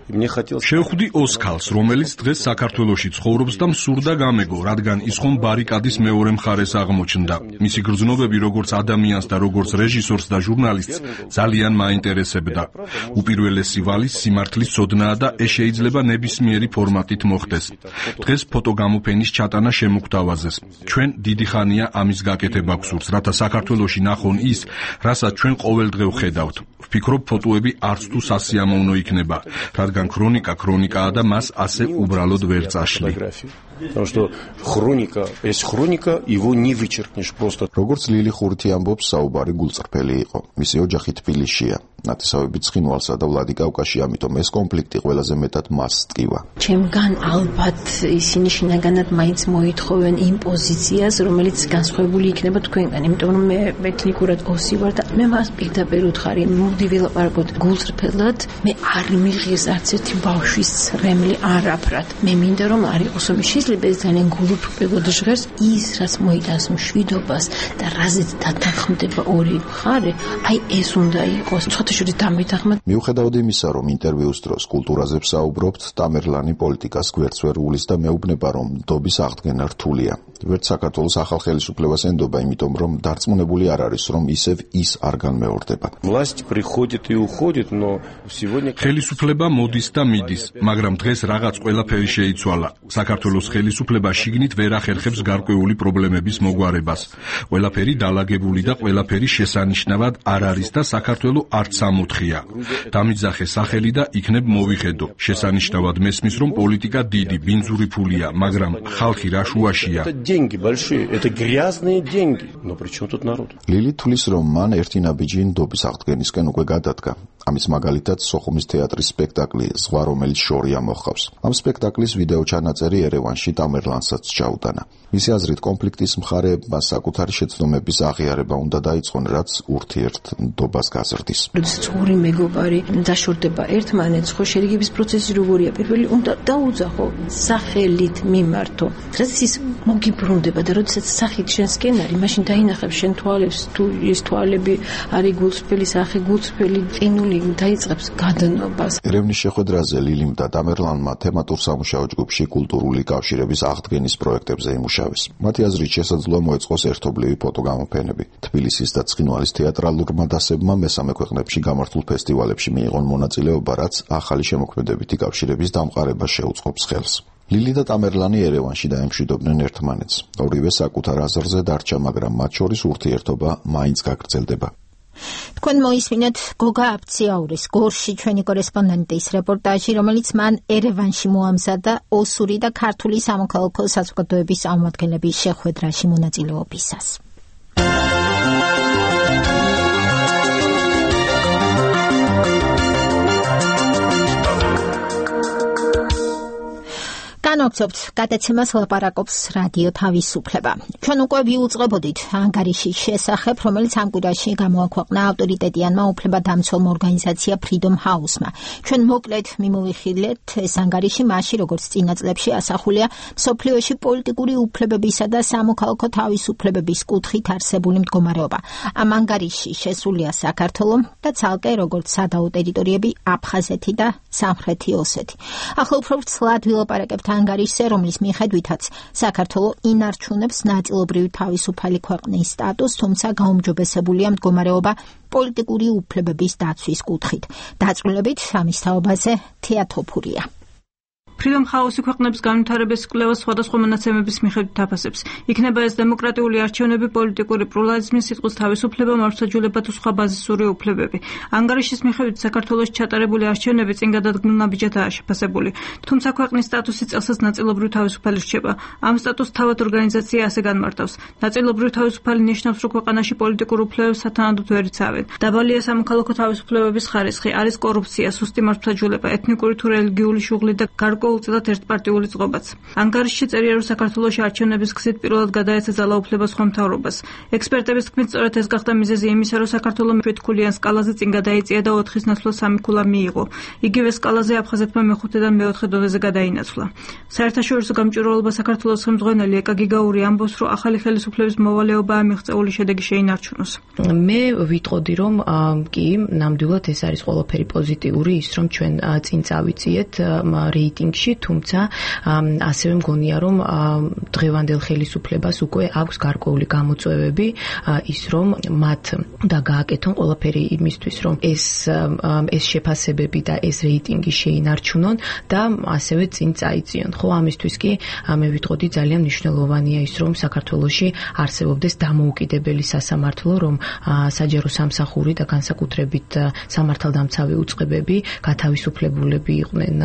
შევხვდი ოსქალს, რომელიც დღეს საქართველოში ცხოვრობს და მსურდა გამეგო, რადგან ის ხომ ბარიკადის მეორე მხარეს აღმოჩნდა. მისი გრძნობები როგორც ადამიანს და როგორც რეჟისორს და ჟურნალისტს ძალიან მაინტერესებდა. უპირველესი ვალის სიმართლის ცოდნაა და ეს შეიძლება ნებისმიერი ფორმატით მოხდეს. დღეს ფოტოგამოფენის ჩატანა შემოგთავაზეს. ჩვენ დიდი ხანია ამის გაკეთება გვსურს, რათა საქართველოში ნახონ ის, რასაც ჩვენ ყოველდღე ვხედავთ. ვფიქრობ, ფოტოები არც თუ სასიამოვნო იქნება, რადგან ქრონიკაა და მას ასე უბრალოდ ვერ წაშლი. Потому что хроника его не вычеркнешь просто. Როგორც ლილი ხურითი ამბობს, საუბარი გულწრფელი იყო. მისი ოჯახი თბილისშია. ნათესავები ცხინვალსა და ვლადიკავკაზში, ამიტომ ეს კონფლიქტი ყველაზე მეტად მას ტკივა. ჩემგან ალბათ ისინი შინაგანად მაინც მოითხოვენ იმ პოზიციას, რომელიც განსხვავებული იქნება თქვენგან, იმიტომ რომ მე ეთნიკურად ოსი ვარ და მე მას პირდაპირ ვუთხარი, მოდი ვილაპარაკოთ გულწრფელად, მე არ მიღეს არც ერთი ბავშვის რემლი არაფრად. მე მინდა რომ არ იყოს ომი, შეიძლება ეს ძალიან გულუბრყოდ ჟღერს, ის რაც მოიტანს მშვიდობას და რაზეც დათანხმდება ორი მხარე, აი ეს უნდა იყოს. მიუხედავად იმისა, რომ ინტერვიუს დროს კულტურაზე ვსაუბრობთ, ტამერლანი პოლიტიკას გვერდს ვერ უვლის და მეუბნება, რომ ნდობის აღდგენა რთულია. ვერც საქართველოს ახალ ხელისუფლებას ენდობა, იმიტომ რომ დარწმუნებული არ არის, რომ ისევ ის არ განმეორდება. ხელისუფლება მოდის და მიდის, მაგრამ დღეს რაღაც ყველაფერი შეიცვალა. საქართველოს ხელისუფლება შიგნით ვერ ახერხებს გარკვეული პრობლემების მოგვარებას. ყველაფერი დალაგებული და ყველაფერი შესანიშნავად არ არის და საქართველოს არც ამოთხია. დამიძახე სახელი და იქნებ მოვიხედო. შესანიშნავად მესმის, რომ პოლიტიკა დიდი, ბინძური ფულია, მაგრამ ხალხი რა შუაშია. ლილი თulis, რომ მან ერთი ნაბიჯი ნდობის აღდგენისკენ უკვე გადადგა. ამის მაგალითად სოხუმის თეატრის სპექტაკლი ზღვა, რომელიც შორია მოჰყავს. ამ სპექტაკლის ვიდეო ჩანაწერი ერევანში ტამერლანსაც ჩაუტანა. მისი აზრით, კონფლიქტის მხარეებმა საკუთარი შეცდომების აღიარება უნდა დაიწყონ, რაც ურთიერთ ნდობას გაზრდის. როდესაც ორი მეგობარი დაშორდება ერთმანეთს, ხო შერიგების პროცესი როგორია? პირველი უნდა დაუძახო, სახელით მიმართო. რაც ის მოგიბრუნდება და როდესაც სახით შენსკენ არის, მაშინ დაინახებს შენ თვალებს, თუ ეს თვალები არის გულწრფელი, სახე გულწრფელი, ყინული დაიწყებს გადანობას. ერევნის შეხვედრაზე ლილიმ და ტამერლანმა თემატურ სამუშაო ჯგუფში კულტურული კავშირების აღდგენის პროექტებზე იმუშავეს. მათი აზრით შესაძლოა მოეწყოს ერთობლივი ფოტოგამოფენები. თბილისის და ცხინვალის თეატრალურმა დასებმა მესამე ქვეყნებში გამართულ ფესტივალებში მიიღონ მონაწილეობა, რაც ახალი შემოქმედებითი კავშირების დამყარებას შეუწყობს ხელს. ლილი და ტამერლანი ერევანში დაემშვიდობდნენ ერთმანეთს. ორივე საკუთარ აზრზე დარჩა, მაგრამ მათ შორის ურთიერთობა მაინც გაგრძელდება. თქვენ მოისმინეთ გოგა აფციაურის გორში ჩვენი კორესპონდენტის რეპორტაჟი, რომელიც მან ერევანში მოამზადა ოსური და ქართული სამოქალაქო საზოგადოების წარმომადგენლების შეხვედრაში მონაწილეობისას. განაგრძობთ გადაცემას ლაპარაკობს რადიო თავისუფლება. ჩვენ უკვე ვიუწყებოდით ანგარიშის შესახებ, რომელიც ამ კვირაში გამოაქვეყნა ავტორიტეტიანმა უფლებადამცველმა ორგანიზაცია Freedom House-მა. ჩვენ მოკლედ მიმოვიხილეთ ეს ანგარიში მაშინ, როგორც წინა წლებში ასახულია მსოფლიოში პოლიტიკური უფლებებისა და სამოქალაქო თავისუფლებების კუთხით არსებული მდგომარეობა. ამ ანგარიშში შესულია საქართველო და ცალკე როგორც სადაო ტერიტორიები აფხაზეთი და სამხრეთი ოსეთი. ახლა უფრო ცლად ვილაპარაკებთ ანგარიშზე, რომლის მიხედვითაც საქართველო ინარჩუნებს ნაწილობრივ თავისუფალი ქვეყნის სტატუსს, თუმცა გაუმჯობესებულია მდგომარეობა პოლიტიკური უფლებების დაცვის კუთხით. დაწვრილებით ამის თაობაზე თეატოფურია. Freedom House ქვეყნების განვითარების კვლევას სხვადასხვა მონაცემების მიხედვით აფასებს. იქნება ეს დემოკრატიული არჩევნები, პოლიტიკური პლურალიზმი, სიტყვის თავისუფლება, მართლმსაჯულება თუ სხვა ბაზისური უფლებები. ანგარიშის მიხედვით საქართველოში ჩატარებული არჩევნები წინ გადადგმულ ნაბიჯადაა შეფასებული. თუმცა ქვეყნის სტატუსი წელსაც ნაწილობრივ თავისუფალი რჩება. ამ სტატუსს თავად ორგანიზაცია ასე განმარტავს. ნაწილობრივ თავისუფალი ნიშნავს, რომ ქვეყანაში პოლიტიკურ უფლებებს სათანადოდ ვერ იცავენ. დაბალია სამოქალაქო თავისუფლებების ხარისხი, არის კორუფცია, სუსტი მართლმსაჯულება, ეთნიკური თუ რელიგიული შუღლი და გარკვეულწილად ერთპარტიული წყობაც. ანგარიშში წერია, რომ საქართველოში არჩევნების გზით პირველად გადაეცა ძალაუფლება სხვა მთავრობას. ექსპერტების თქმით, სწორედ ეს გახდა მიზეზი იმისა, რომ საქართველო მეთქულიან სკალაზე წინ გადაიწია და 4-ის ნაცვლად 3 ქულა მიიღო. იგივე სკალაზე აფხაზეთმა მე-5-დან მე-4 დონეზე გადაინაცვლა. საერთაშორისო გამჭვირვალობა საქართველოს ხელმძღვანელი ეკა გიგაური ამბობს, რომ ახალი ხელისუფლების მოვალეობაა მიღწეული შედეგი შეინარჩუნოს. მე ვიტყოდი, რომ კი, ნამდვილად ეს არის ყველაფერი პოზიტიური, ის რომ ჩვენ წინ წავიწიეთ რეიტინგში, თუმცა ასევე მგონია, რომ დღევანდელ ხელისუფლებას უკვე აქვს გარკვეული გამოწვევები, ის რომ მათ და გააკეთონ ყველაფერი იმისთვის, რომ ეს შეფასებები და ეს რეიტინგი შეინარჩუნონ და ასევე წინ წაიწიონ. ხო, ამისთვის კი მე ვიტყოდი ძალიან მნიშვნელოვანია ის, რომ საქართველოში არსებობდეს დამოუკიდებელი სასამართლო, რომ საჯარო სამსახური და განსაკუთრებით სამართალდამცავი უწყებები გათავისუფლებულები იყვნენ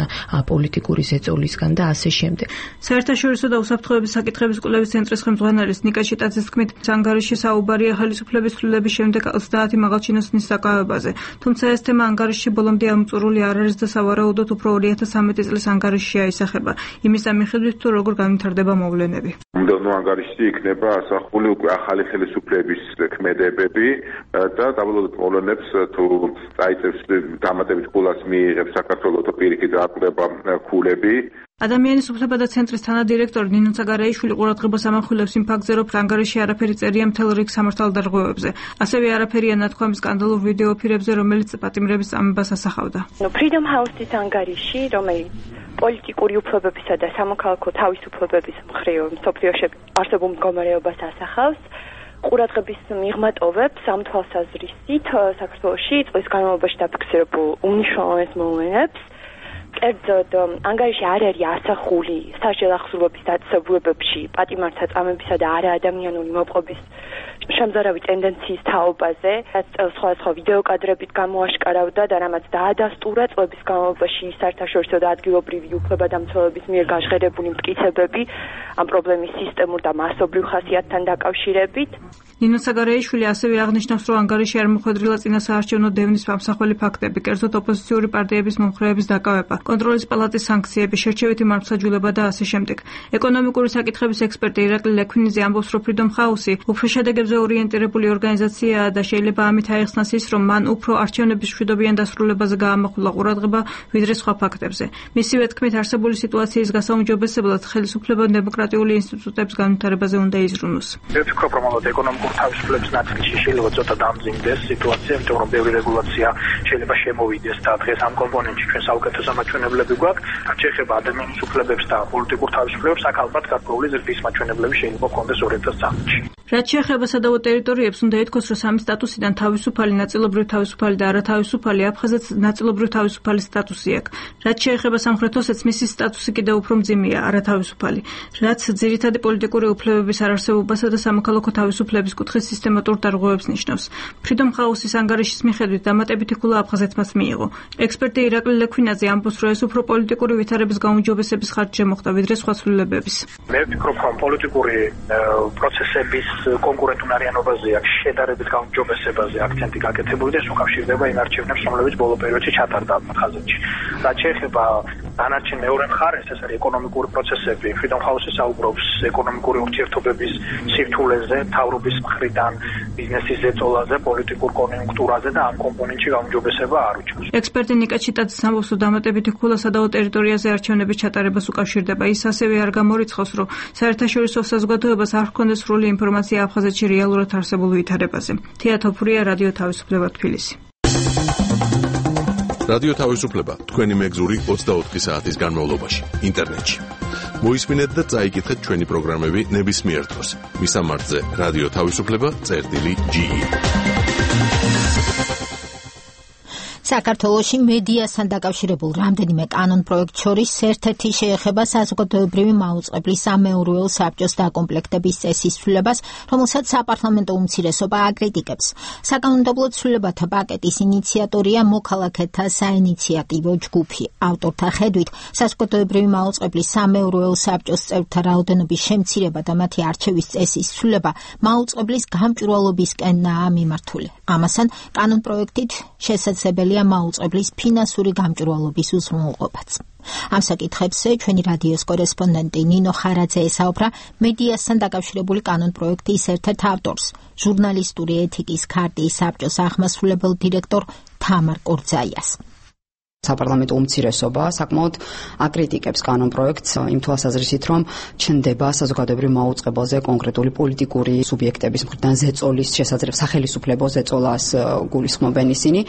პოლიტიკური ზეწოლისგან და ასე შემდეგ. საერთაშორისო და უსაფრთხოების საკითხების კვლევის ცენტრის ხელმძღვანელის ნიკა ჩიტაძის თქმით, ანგარიში საუბარია ხელისუფლების ცვლილების შემდეგ 30 მაღალჩინოსნის საკავებაზე. თუმცა ეს თემა ანგარიშში ბოლომდე ამწურული არ არის და სავარაუდოდ უფრო 2013 წლის ანგარიშშია ისახება. იმის მიხედვით, თუ როგორ განვითარდება მოვლენები. მომდევნო ანგარიშში იქნება ასახული უკვე ახალი ხელისუფლების ქმედებები და დაბალოდ მოვლენებს თუ წაიწევს დამატებით ქულას მიიღებს საქართველოს პირიქით აკვრება ქულები. ადამიანის უფლებათა ცენტრის თანადირექტორი ნინო ცაგარეიშვილი ყურადღებას ამახვილებს იმ ფაქტზე, რომ ანგარიში არაფერი წერია მთელ რიგ სამართალდარღვევებზე. ასევე არაფერია ნათქვამი სკანდალურ ვიდეო ფირებზე, რომელიც პატიმრების წამებას ასახავდა. Freedom House-ის ანგარიში, რომელიც პოლიტიკური უფლებებისა და სამოქალაქო თავისუფლებების მხრივ მსოფლიოში არსებულ მდგომარეობას ასახავს, ყურადღების მიღმა-ტოვებს ამ თვალსაზრისით საქართველოში წლის განმავლობაში დაფიქსირებულ უმნიშვნელოვანეს მოვლენებს. კერძოდ, ანგარიში არ არის ასახული სასჯელ ახსოვების დაწესებულებებში პატიმართსაწამებისა და არაადამიანური მოპყრობის შემზარავი ტენდენციის თაობაზე, რაც სხვადასხვა ვიდეო კადრებით გამოაშკარავდა და რამაც დაადასტურა წლების განმავლობაში საერთაშორისო და ადგილობრივი უფლებადამცველების მიერ გაჟღერებული მტკიცებები ამ პრობლემის სისტემურ და მასობრივ ხასიათთან დაკავშირებით. ნინო ცაგარეიშვილი ასევე აღნიშნავს, რომ ანგარიში არ მოხვედრილა წინასაარჩევნო დევნის ამსახველი ფაქტები, კერძოდ ოპოზიციური პარტიების მომხრეების დაკავება, კონტროლის პალატის სანქციები, შერჩევითი მართლმსაჯულება და ასე შემდეგ. ეკონომიკური საკითხების ექსპერტი ირაკლი ლექვინიძე ამბობს, რომ Freedom House-ი უფრო შედეგებზე ორიენტირებული ორგანიზაციაა და შეიძლება ამით აიხსნას ის, რომ მან უფრო არჩევნების მშვიდობიან დასრულებაზე გაამახვილა ყურადღება, ვიდრე სხვა ფაქტებზე. მისივე თქმით, არსებული სიტუაციის გასაუმჯობესებლად ხელისუფლებამ დემოკრატიული ინსტიტუტების განვითარებაზე უნდა იზრუნოს. თავისუფლების ნაწილში შეიძლება ცოტა დამძიმდეს სიტუაცია, იმიტომ რომ ბევრი რეგულაცია შეიძლება შემოვიდეს და დღეს ამ კომპონენტში ჩვენ საუკეთესო მაჩვენებლები გვაქვს. რაც შეეხება ადამიანის უფლებებს და პოლიტიკურ თავისუფლებებს, აქ ალბათ გარკვეული ზრდის მაჩვენებლები შეიძლება გქონდეს 2013 წელს. რაც შეეხება სადავო ტერიტორიებს, უნდა ითქვას, რომ სამი სტატუსიდან თავისუფალი, ნაწილობრივ თავისუფალი და არათავისუფალი აფხაზეთს ნაწილობრივ თავისუფალი სტატუსი აქვს. რაც შეეხება სამხრეთ ოსეთს, მისი სტატუსი კიდევ უფრო მძიმეა, არათავისუფალი. რაც ძირითადი პოლიტიკური უფლებების არარსებობასა და სამოქალაქო თავისუფლების კუთხის სისტემატურ დარღვევებს ნიშნავს. Freedom House-ის ანგარიშის მიხედვით დამატებითი ქულა აფხაზეთმაც მიიღო. ექსპერტი ირაკლი ლექვინაძე ამბობს, რომ ეს უფრო პოლიტიკური ვითარების გაუმჯობესების ხარჯზე მოხდა, ვიდრე სხვა ცვლილებების. მე ვფიქრობ, რომ პოლიტიკური პროცესების კონკურენტუნარიანობაზე აქ შედარებით გაუმჯობესებაზე აქცენტი გაკეთებული და ეს უკავშირდება იმ არჩევნებს, რომლებიც ბოლო პერიოდში ჩატარდა აფხაზეთში. რაც შეეხება დანარჩენ მეორე მხარეს, ეს არის ეკონომიკური პროცესები. Freedom House-ი საუბრობს ეკონომიკური ურთიერთობების სირთულეზე, მთავრობის მხრიდან ბიზნესის ზეწოლაზე, პოლიტიკურ კონიუნქტურაზე და ამ კომპონენტში გაუმჯობესება არ უჩვენს. ექსპერტი ნიკა ჩიტაძე ამბობს, რომ დამატებითი ქულა სადავო ტერიტორიაზე არჩევნების ჩატარებას უკავშირდება. ის ასევე არ გამორიცხავს, რომ საერთაშორისო საზოგადოებას არ ჰქონდეს სრული ინფორმაცია აფხაზეთში რეალურად არსებულ ვითარებაზე. თეა თოფურია, რადიო თავისუფლება, თბილისი. რადიო თავისუფლება თქვენი მეგზური 24 საათის განმავლობაში ინტერნეტში. მოისმინეთ და წაიკითხეთ ჩვენი პროგრამები ნებისმიერ დროს. მისამართზე რადიო თავისუფლება.ge. საქართველოში მედიასთან დაკავშირებულ რამდენიმე კანონ პროექტ შორის ერთ-ერთი შეეხება საზოგადოებრივი მაუწყებლის სამეურვეო საბჭოს დაკომპლექტების წესისცვლილებას, რომელსაც საპარლამენტო უმცირესობა აკრიტიკებს. საკანონმდებლო ცვლილებათა პაკეტის ინიციატორია მოქალაქეთა საინიციატივო ჯგუფი. ავტორთა ხედვით, საზოგადოებრივი მაუწყებლის სამეურვეო საბჭოს წევრთა რაოდენობის შემცირება და მათი არჩევის წესისცვლილება მაუწყებლის გამჭვირვალობისკენაა მიმართული. ამასთან, კანონ პროექტით შესაძლებელია მაუწყებლის ფინანსური გამჭვირვალობის უზრუნველყოფაც. ამ საკითხებზე ჩვენი რადიოს კორესპონდენტი ნინო ხარაძე ესაუბრა მედიასთან დაკავშირებული კანონ პროექტის ერთ-ერთ ავტორს, ჟურნალისტური ეთიკის ქარტიის საბჭოს აღმასრულებელ დირექტორ თამარ კორძაიას. საპარლამენტო უმცირესობა საკმაოდ აკრიტიკებს კანონ პროექტს იმ თვალსაზრისით, რომ ჩნდება საზოგადოებრივ მაუწყებელზე კონკრეტული პოლიტიკური სუბიექტების მხრიდან ზეწოლის შესაძლებლობა, სახელისუფლებო ზეწოლას გულისხმობენ ისინი.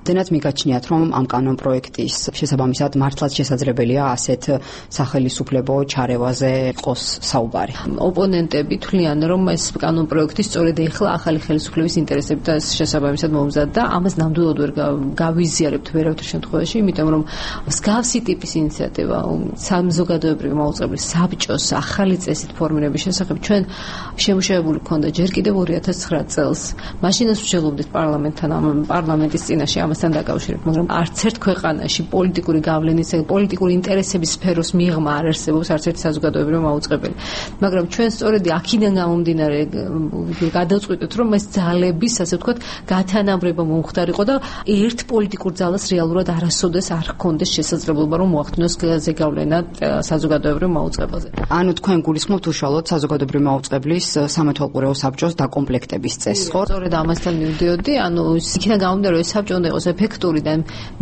დენაც მიგაჩნიათ, რომ ამ კანონ პროექტის შესაბამისად მართლაც შესაძლებელია ასეთ სახელისუფლებო ჩარევაზე იყოს საუბარი. ოპონენტები თვლიან, რომ ეს კანონ პროექტი სწორედ ეხლა ახალი ხელისუფლების ინტერესებთან შესაბამისად მომზადდა, ამას ნამდვილად ვერ გავიზიარებთ ვერავითარ შემთხვევაში. იმიტომ რომ მსგავსი ტიპის ინიციატივა საზოგადოებრივი მაუწყებლის საბჭოს ახალი წესით ფორმირების შესახებ ჩვენ შემუშავებული გქონდა ჯერ კიდევ 2009 წელს. მაშინაც ვშელობდით პარლამენტის წინაშე ამასთან დაკავშირებით, მაგრამ არც ერთ ქვეყანაში პოლიტიკური გავლენის, პოლიტიკური ინტერესების სფეროს მიღმა არ არსებობს არც ერთი საზოგადოებრივი მაუწყებელი. მაგრამ ჩვენ სწორედ აქედან გამომდინარე გადავწყვიტეთ, რომ ეს ძალების, ასე ვთქვათ, გათანაბრება მომხდარიყო და ერთ პოლიტიკურ ძალას რეალურად არასოდეს არ ჰქონდეს შესაძლებლობა რომ მოახდინოს ზეგავლენა საზოგადოებრივ მაუწყებელზე. ანუ თქვენ გულისხმობთ უშუალოდ საზოგადოებრივ მაუწყებლის სამეთვალყურეო საბჭოს დაკომპლექტების წესს, ხო? სწორედ ამასთან მივდიოდი, ანუ იქიდან გამომდინარე, ეს საბჭო უნდა იყოს ეფექტური და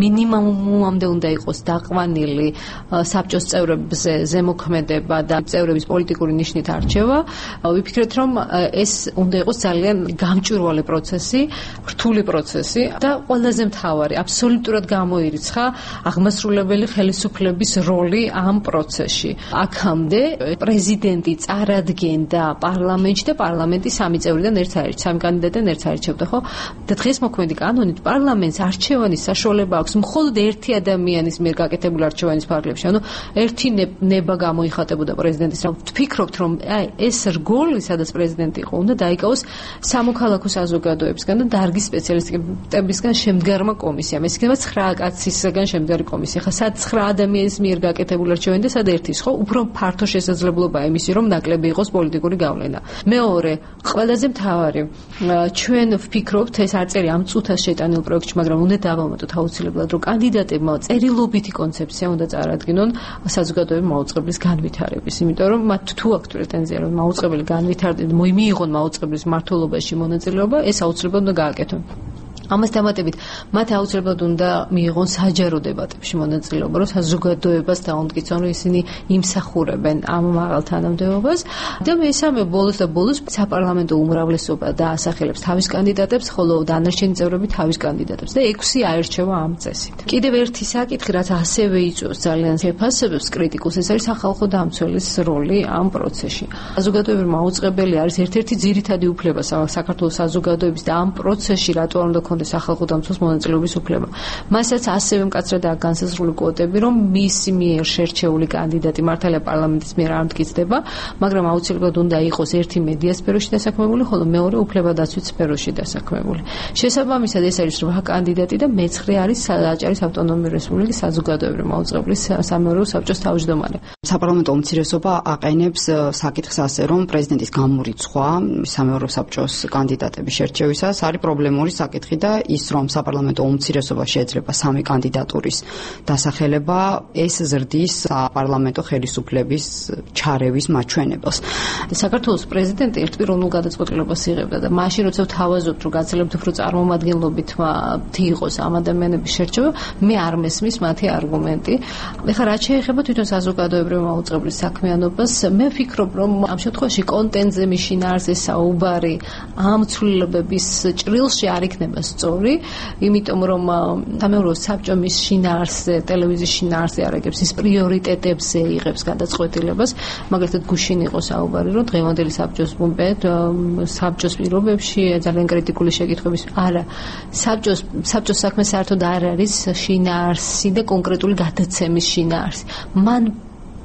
მინიმუმამდე უნდა იყოს დაყვანილი საბჭოს წევრებზე ზემოქმედება და წევრების პოლიტიკური ნიშნით არჩევა. ვიფიქრეთ, რომ ეს უნდა იყოს ძალიან გამჭვირვალე პროცესი, რთული პროცესი და ყველაზე მთავარი, აბსოლუტურად გამოირიცხა აღმასრულებელი ხელისუფლების როლი ამ პროცესში. აქამდე პრეზიდენტი წარადგენდა პარლამენტში და პარლამენტი სამი წევრიდან ერთ არჩევდა, სამი კანდიდატიდან ერთ არჩევდა, ხო? და დღეს მოქმედი კანონით პარლამენტს არჩევანის საშუალება აქვს მხოლოდ ერთი ადამიანის მიერ გაკეთებული არჩევანის ფარგლებში. ანუ ერთი ნება გამოიხატებოდა პრეზიდენტის. ვფიქრობთ, რომ ეს რგოლი, სადაც პრეზიდენტი იყო, უნდა დაიკავოს სამოქალაქო საზოგადოებისგან და დარგის სპეციალისტებისგან შემდგარმა კომისიამ. ეს იქნება 9 კაცისგან შემდგარი კომისია. ხა სად 9 ადამიანის მიერ გაკეთებული არჩევანი და სად ერთის, ხო? უფრო ფართო შესაძლებლობაა იმისი, რომ ნაკლები იყოს პოლიტიკური გავლენა. მეორე, ყველაზე მთავარი, ჩვენ ვფიქრობთ, ეს არ წერი ამ წუთას შეტანილ პროექტში, მაგრამ უნდა დავამატოთ აუცილებლად, რომ კანდიდატებმა წერილობითი კონცეფცია უნდა წარადგინონ საზოგადოებრივი მაუწყებლის განვითარების, იმიტომ რომ მათ თუ აქვთ პრეტენზია, რომ მაუწყებელი განვითარდეს, მიიღონ მაუწყებლის მმართველობაში მონაწილეობა, ეს აუცილებლად უნდა გააკეთონ. ამას დამატებით მათ აუცილებლად უნდა მიიღონ საჯარო დებატებში მონაწილეობა, რომ საზოგადოებას დაუნტკიცონ, რომ ისინი იმსახურებენ ამ მაღალ თანამდებობას და მესამე ბოლოს საპარლამენტო უმრავლესობა დაასახელებს თავის კანდიდატებს, ხოლო დანარჩენი წევრები თავის კანდიდატებს და 6 აერჩევა ამ წესით. კიდევ ერთი საკითხი, რაც ასევე იწვევს ძალიან შეფასებებს კრიტიკულს, ეს არის სახალხო დამცველის როლი ამ პროცესში. საზოგადოებრივი მაუწყებელი არის ერთ-ერთი ძირითადი უფლება საქართველოს საზოგადოების და ამ პროცესში რატო არ უნდა ქონდეს სახალხო დამცველს მონაწილეობის უფლება. მასაც ასევე მკაცრადაა განსაზღვრული კვოტები, რომ მისი მიერ შერჩეული კანდიდატი მართალია პარლამენტის მიერ არ მტკიცდება, მაგრამ აუცილებლად უნდა იყოს ერთი მედია სფეროში დასაქმებული, ხოლო მეორე უფლებადაცვით სფეროში დასაქმებული. შესაბამისად ეს არის 8 კანდიდატი და მე-9 არის აჭარის ავტონომიური რესპუბლიკის საზოგადოებრივი მაუწყებლის სამეურვეო საბჭოს თავმჯდომარე. საპარლამენტო უმცირესობა აყენებს საკითხს ასე, რომ პრეზიდენტის გამორიცხვა სამეურვეო საბჭოს კანდიდატების შერჩევისას არის პრობლემური საკითხი და ის, რომ საპარლამენტო უმცირესობა შეეძლება 3 კანდიდატურის დასახელება, ეს ზრდის საპარლამენტო ხელისუფლების ჩარევის მაჩვენებელს. საქართველოს პრეზიდენტი ერთპიროვნულ გადაწყვეტილებას იღებდა და მაშინ როცა თავაზობთ, რომ გაცილებით უფრო წარმომადგენლობით იყოს ამ ადამიანების შერჩევა, მე არ მესმის მათი არგუმენტი. ეხლა რაც შეეხება თვითონ საზოგადოებრივი მაუწყებლის საქმიანობას, მე ვფიქრობ, რომ ამ შემთხვევაში კონტენტზე მიშინაარზე საუბარი ამ ცვლილებების ჭრილში არ იქნება სწორი, იმიტომ რომ სამეურვეო საბჭო მის შინაარსზე, ტელევიზიის შინაარსზე არაგებს ის პრიორიტეტებზე იღებს გადაწყვეტილებას, მაგალითად გუშინ იყო საუბარი, რომ დღევანდელი საბჭოს საბჭოს პირობებში ძალიან კრიტიკული შეკითხვების არა, საბჭოს საქმე საერთოდ არ არის შინაარსი და კონკრეტული გადაცემის შინაარსი. მან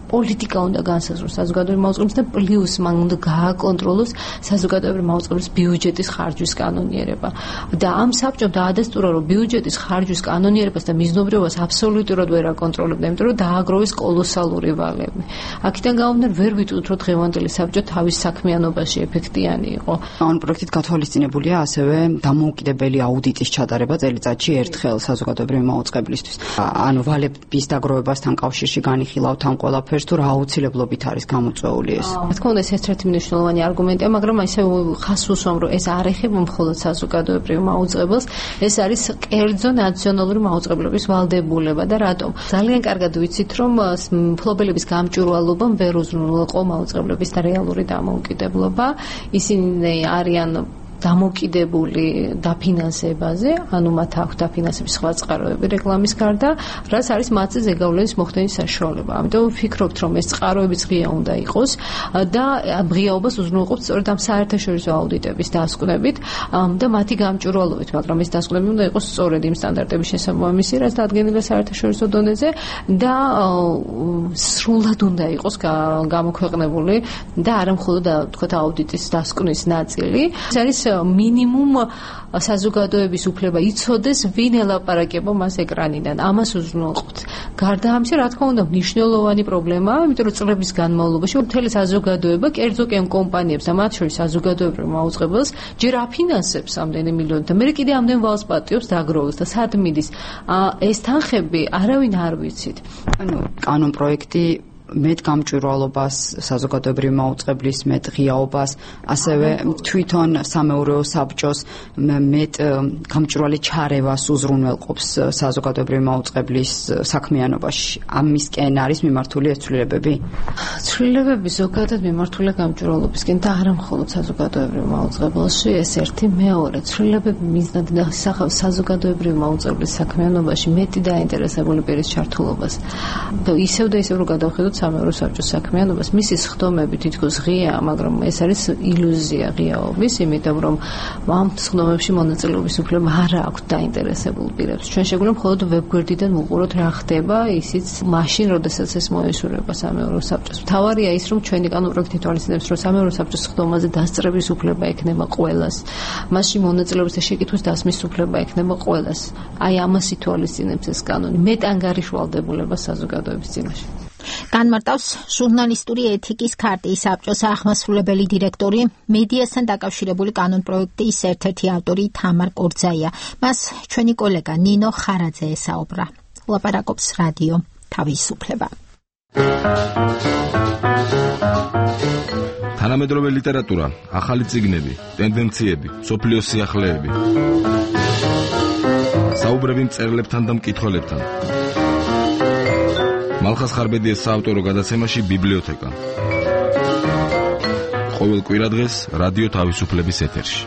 პოლიტიკა უნდა განსაზღვროს საზოგადოებრივი მაუწყებლის და პლუს მან უნდა გააკონტროლოს საზოგადოებრივი მაუწყებლის ბიუჯეტის ხარჯვის კანონიერება. და ამ საბჭომ დაადასტურა, რომ ბიუჯეტის ხარჯვის კანონიერებას და მიზნობრიობას აბსოლუტურად ვერ აკონტროლებდა, იმიტომ რომ დააგროვეს კოლოსალური ვალები. აქედან გამომდინარე, ვერ ვიტყვით, რომ დღევანდელი საბჭო თავის საქმიანობაში ეფექტიანი იყო. ამ პროექტით გათვალისწინებულია ასევე დამოუკიდებელი აუდიტის ჩატარება წელიწადში ერთხელ საზოგადოებრივი მაუწყებლისთვის. ანუ ვალების დაგროვებასთან კავშირში განიხილავთ ამ ყველაფერს, თუ რა აუცილებლობით არის გამოწვეული ეს. რა თქმა უნდა, ეს ერთ-ერთი მნიშვნელოვანი არგუმენტია, მაგრამ ისე ხას უსვამ, რომ ეს არ ეხება მხოლოდ საზოგადოებრივ მაუწყებელს, ეს არის კერძო ნაციონალური მაუწყებლობის ვალდებულება და რატომ? ძალიან კარგად ვიცით, რომ მფლობელების გამჭვირვალობამ ვერ უზრუნველყო მაუწყებლების და რეალური დამოუკიდებლობა. ისინი არიან დამოკიდებული დაფინანსებაზე, ანუ მათ აქვს დაფინანსების სხვა წყაროები რეკლამის გარდა, რაც არის მათზე ზეგავლენის მოხდენის საშუალება. ამიტომ ვფიქრობთ, რომ ეს წყაროებიც ღია უნდა იყოს და ღიაობას უზრუნველყოფთ სწორედ ამ საერთაშორისო აუდიტების დასკვნებით და მათი გამჭვირვალობით, მაგრამ ეს დასკვნები უნდა იყოს სწორედ იმ სტანდარტების შესაბამისი, რაც დადგენილია საერთაშორისო დონეზე და სრულად უნდა იყოს გამოქვეყნებული და არა მხოლოდ თქვათ აუდიტის დასკვნის ნაწილი. ეს არის მინიმუმ საზოგადოების უფლება იცოდეს, ვინ ელაპარაკება მას ეკრანიდან. ამას უზრუნველყოფთ. გარდა ამისა, რა თქმა უნდა, მნიშვნელოვანი პრობლემაა, იმიტომ რომ წლების განმავლობაში მთელი საზოგადოება, კერძო კომპანიებს და მათ შორის საზოგადოებრივ მაუწყებელს ჯერ აფინანსებს ამდენი მილიონი და მე კიდე ამდენ ვალს პატიობს დაგროვოს და სად მიდის. ეს თანხები არავინ არ ვიცით. ანუ კანონ პროექტი მეტ გამჭვირვალობას, საზოგადოებრივი მაუწყებლის მეტ ღიაობას, ასევე თვითონ სამეურვეო საბჭოს მეტ გამჭვირვალე ჩარევას უზრუნველყოფს საზოგადოებრივი მაუწყებლის საქმიანობაში. ამისკენ არის მიმართული ეს ცვლილებები? ცვლილებები ზოგადად მიმართულია გამჭვირვალობისკენ და არა მხოლოდ საზოგადოებრივ მაუწყებელში, ეს ერთი. მეორე, ცვლილებები მიზნად ინახავს საზოგადოებრივ მაუწყებლის საქმიანობაში მეტი დაინტერესებული პირის ჩართულობას. და ისევ რომ გადავხედოთ სამეურვეო საბჭოს საქმიანობას, მისი სხდომები თითქოს ღიაა, მაგრამ ეს არის ილუზია ღიაობის, იმიტომ რომ ამ სხდომებში მონაწილეობის უფლება არ აქვს დაინტერესებულ პირებს. ჩვენ შეგვიძლია მხოლოდ ვებგვერდიდან ვუყუროთ რა ხდება, ისიც მაშინ, როდესაც ეს მოესურვება სამეურვეო საბჭოს. მთავარია ის, რომ ჩვენი კანონ პროექტი თვალისწინებს, რომ სამეურვეო საბჭოს სხდომაზე დასწრების უფლება ექნება ყველას. მასში მონაწილეობის და შეკითხვის დასმის უფლება ექნება ყველას. აი ამას ითვალისწინებს ეს კანონი. მეტ ანგარიშვალდებულება საზოგადოების წინაშე. განმარტავს ჟურნალისტური ეთიკის ქარტიის საბჭოს აღმასრულებელი დირექტორი, მედიასთან დაკავშირებული კანონ პროექტის ერთ-ერთი ავტორი თამარ კორძაია. მას ჩვენი კოლეგა ნინო ხარაძე ესაუბრა. ლაპარაკობს რადიო თავისუფლება. თანამედროვე ლიტერატურა, ახალი წიგნები, ტენდენციები, სოფლიოს სიახლეები. საუბრები მწერლებთან და მკითხველებთან. მალხას ხარბედიას საავტორო გადაცემაში ბიბლიოთეკა. ყოველ კვირადღეს რადიო თავისუფლების ეთერში.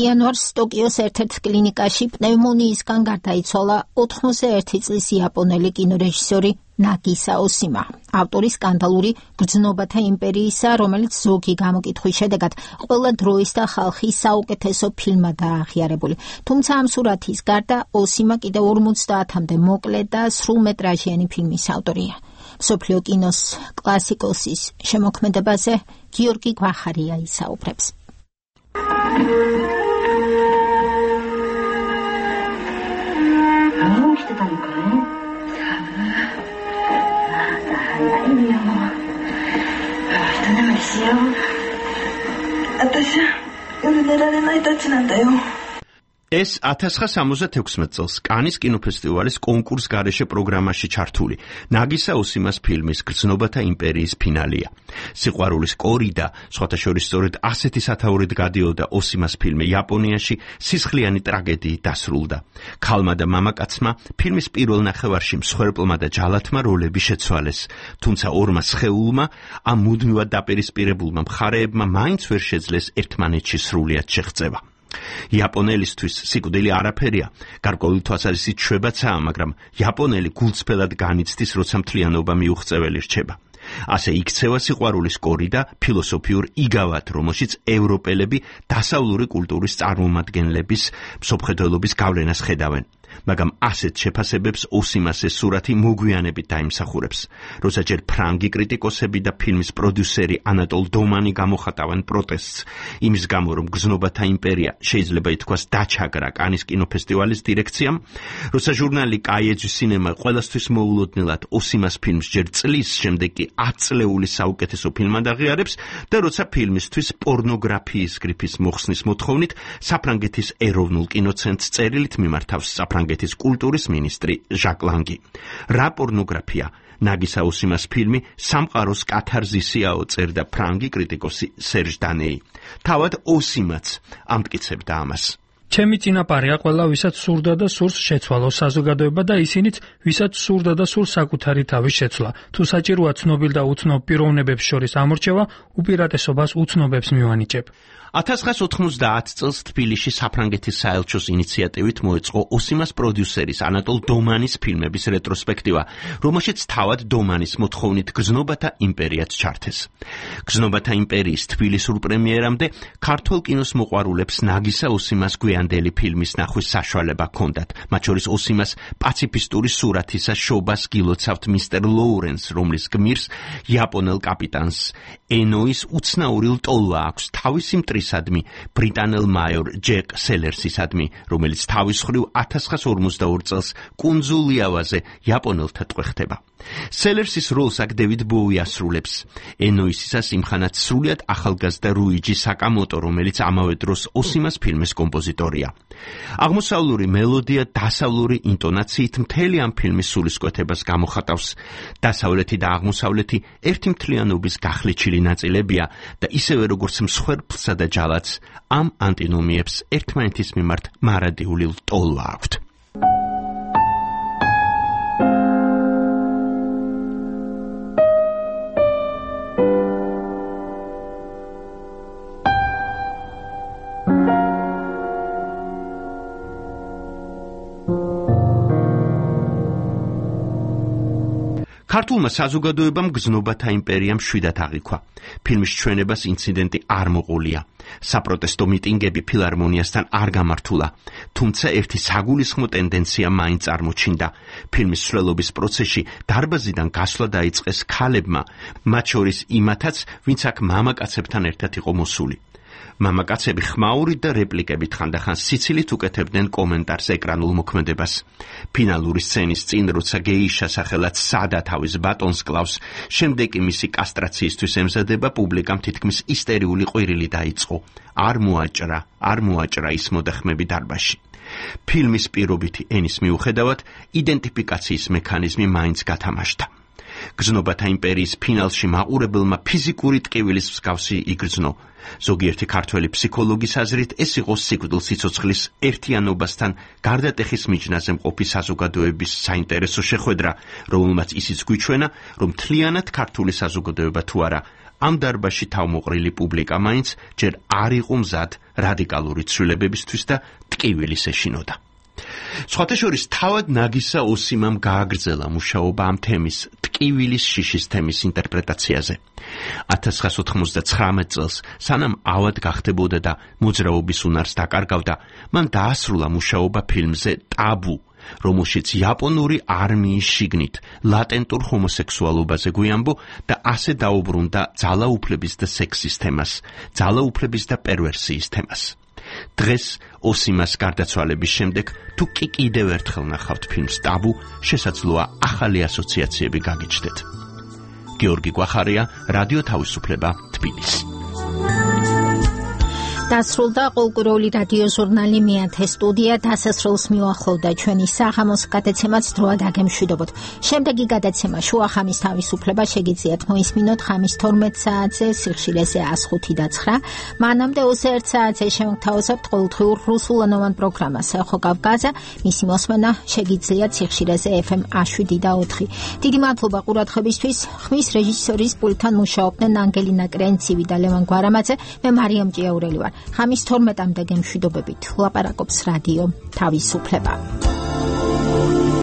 იანვარს ტოკიოს ერთ-ერთ კლინიკაში პნევმონიისგან გარდაიცვალა 81 წლის იაპონელი კინორეჟისორი ნაგისა ოსიმა, ავტორი სკანდალური გრძნობათა იმპერიისა, რომელიც ზოგი გამოკითხვის შედეგად ყველა დროის და ხალხის საუკეთესო ფილმადაა აღიარებული. თუმცა ამ სურათის გარდა ოსიმა კიდევ 50-მდე მოკლე და სრულმეტრაჟიანი ფილმის ავტორია. მსოფლიო კინოს კლასიკოსის შემოქმედებაზე გიორგი გვახარია ისაუბრებს. ეს 1976 წელს კანის კინოფესტივალის კონკურს გარეშე პროგრამაში ჩართული ნაგისა ოსიმას ფილმის გრძნობათა იმპერიის ფინალია. სიყვარულის კორიდა, სხვათა შორის სწორედ ასეთი სათაურით გადიოდა ოსიმას ფილმი იაპონიაში სისხლიანი ტრაგედიით დასრულდა. ქალმა და მამაკაცმა ფილმის პირველ ნახევარში მსხვერპლმა და ჯალათმა როლები შეცვალეს, თუმცა ორმა სხეულმა ამ მუდმივად დაპირისპირებულმა მხარეებმა მაინც ვერ შეძლეს ერთმანეთში სრულიად შეღწევა. იაპონელისთვის სიკვდილი არაფერია, გარკვეული თვალსაზრისით შვებაცაა, მაგრამ იაპონელი გულწრფელად განიცდის, როცა მთლიანობა მიუღწეველი რჩება. ასე იქცევა სიყვარულის კორიდა ფილოსოფიურ იგავად, რომელშიც ევროპელები დასავლური კულტურის წარმომადგენლების მსოფლმხედველობის გავლენას ხედავენ. მაგრამ ასეთ შეფასებებს ოსიმას ეს სურათი მოგვიანებით დაიმსახურებს. როცა ჯერ ფრანგი კრიტიკოსები და ფილმის პროდიუსერი ანატოლ დომანი გამოხატავენ პროტესტს იმის გამო, რომ გრძნობათა იმპერია შეიძლება ითქვას დაჩაგრა კანის კინოფესტივალის დირექციამ, როცა ჟურნალი კაიეჯი სინემა ყველასთვის მოულოდნელად ოსიმას ფილმს ჯერ წლის შემდეგ კი 10 წლეულის საუკეთესო ფილმად აღიარებს და როცა ფილმისთვის პორნოგრაფიის გრიფის მოხსნის მოთხოვნით საფრანგეთის ეროვნულ კინოცენტრს წერილით მიმართავს საფრანგეთის კულტურის მინისტრი ჟაკ ლანგი. რა პორნოგრაფია? ნაგისა ოსიმას ფილმი სამყაროს კათარზისიაო, წერდა ფრანგი კრიტიკოსი სერჟ დანეი. თავად ოსიმაც ამტკიცებდა ამას. ჩემი წინაპარია ყველა, ვისაც სურდა და სურს შეცვალოს საზოგადოება და ისინიც, ვისაც სურდა და სურს საკუთარი თავის შეცვლა. თუ საჭიროა ცნობილ და უცნობ პიროვნებებს შორის ამორჩევა, უპირატესობას უცნობებს მივანიჭებ. 1990 წელს თბილისში საფრანგეთის საელჩოს ინიციატივით მოეწყო ოსიმას პროდიუსერის ანატოლ დომანის ფილმების რეტროსპექტივა, რომელშიც თავად დომანის მოთხოვნით გრძნობათა იმპერიაც ჩართეს. გრძნობათა იმპერიის თბილისურ პრემიერამდე ქართულ კინოს მოყვარულებს ნაგისა ოსიმას გვიანდელი ფილმის ნახვის საშუალება ჰქონდათ, მათ შორის ოსიმას პაციფისტური სურათისა შობას გილოცავთ მისტერ ლოურენს, რომლის გმირს იაპონელ კაპიტანს ენოის უცნაური ლტოლვა აქვს თავისი მტრისადმი ბრიტანელ მაიორ ჯეკ სელერსისადმი, რომელიც თავის მხრივ 1942 წელს კუნძულ იავაზე იაპონელთა ტყვეხდება. სელერსის როლს აქ დევიდ ბოუი ასრულებს. ენოისისას იმხანად სრულიად ახალგაზრდა რუიჯი საკამოტო, რომელიც ამავე დროს ოსიმას ფილმის კომპოზიტორია. აღმოსავლური მელოდია დასავლური ინტონაციით მთელი ამ ფილმის სულისკვეთებას გამოხატავს. დასავლეთი და აღმოსავლეთი ერთი მთლიანობის გახლეჩილი ნაწილებია და ისევე როგორც მსხვერპლსა და ჯალათს ამ ანტინომიებს ერთმანეთის მიმართ მარადიული ლტოლვა აქვთ. ქართულმა საზოგადოებამ გრძნობათა იმპერიამ შვიდად აღიქვა. ფილმის ჩვენებას ინციდენტი არ მოყოლია. საპროტესტო მიტინგები ფილარმონიასთან არ გამართულა, თუმცა ერთი საგულისხმო ტენდენცია მაინც წარმოჩინდა. ფილმის სვლელობის პროცესში დარბაზიდან გასვლა დაიწყეს ქალებმა, მათ შორის იმათაც, ვინც აქ მამაკაცებთან ერთად იყო მოსული. მამაკაცები ხმაურით და რეპლიკებით ხანდახან სიცილით უკეთებდნენ კომენტარს ეკრანულ მოქმედებას. ფინალური სცენის წინ, როცა გეიშა სახელად სადა თავის ბატონს კლავს, შემდეგ კი მისი კასტრაციისთვის ემზადება, პუბლიკამ თითქმის ისტერიული ყვირილი დაიწყო. არ მოაჭრა ის მოდახმები დარბაზში. ფილმის პირობითი ენის მიუხედავად, იდენტიფიკაციის მექანიზმი მაინც გათამაშდა. გზნობათა იმპერიის ფინალში მაყურებელმა ფიზიკური ტკივილის მსგავსი იგრძნო. ზოგიერთი ქართველი ფსიქოლოგის აზრით ეს იყო სიკვდილ სიცოცხლის ერთიანობასთან გარდატეხის მიჯნაზე მყოფი საზოგადოების საინტერესო შეხვედრა, რომელმაც ისიც გვიჩვენა, რომ მთლიანად ქართული საზოგადოება თუ არა, ამ დარბაზში თავმოყრილი პუბლიკა მაინც ჯერ არ იყო მზად რადიკალური ცვლილებებისთვის და ტკივილის ეშინოდა. სხვათა შორის თავად ნაგისა ოსიმამ გააგრძელა მუშაობა ამ თემის, ტკივილის შიშის თემის ინტერპრეტაციაზე. 1999 წელს, სანამ ავად გახდებოდა და მოძრაობის უნარს დაკარგავდა, მან დაასრულა მუშაობა ფილმზე ტაბუ, რომელშიც იაპონური არმიის შიგნით ლატენტურ ჰომოსექსუალობაზე გვიამბო და ასე დაუბრუნდა ძალაუფლების და სექსის თემას, ძალაუფლების და პერვერსიის თემას. დღეს ოსიმას გარდაცვალების შემდეგ თუ კი კიდევ ერთხელ ნახავთ ფილმს ტაბუ, შესაძლოა ახალი ასოციაციები გაგიჩნდეთ. გიორგი გვახარია, რადიო თავისუფლება, თბილისი. დასრულდა კულტურული რადიო ჟურნალი მეათე სტუდია დასასრულს მიუახლოვდა ჩვენი საღამოს გადაცემაც დროად აგემშვიდობოთ. შემდეგი გადაცემა შუახამის თავისუფლება შეგიძლიათ მოისმინოთ ხამის 12 საათზე სიხშირეზე 105.9. მანამდე 21 საათზე შემოგთავაზებთ ყოველდღიურ რუსულენოვან პროგრამას ხო კავკაზა. მისი მოსმენა შეგიძლიათ სიხშირეზე FM 107.4. დიდი მადლობა ყურადღებისთვის. ხმის რეჟისორის პულტთან მუშაობდნენ ანგელინა კრენცივი და ლევან გვარამაძე. მე მარიამ ჭიაურელი ვარ. ხამის 12-მდე გემშვიდობებით ლაპარაკობს რადიო თავისუფლება.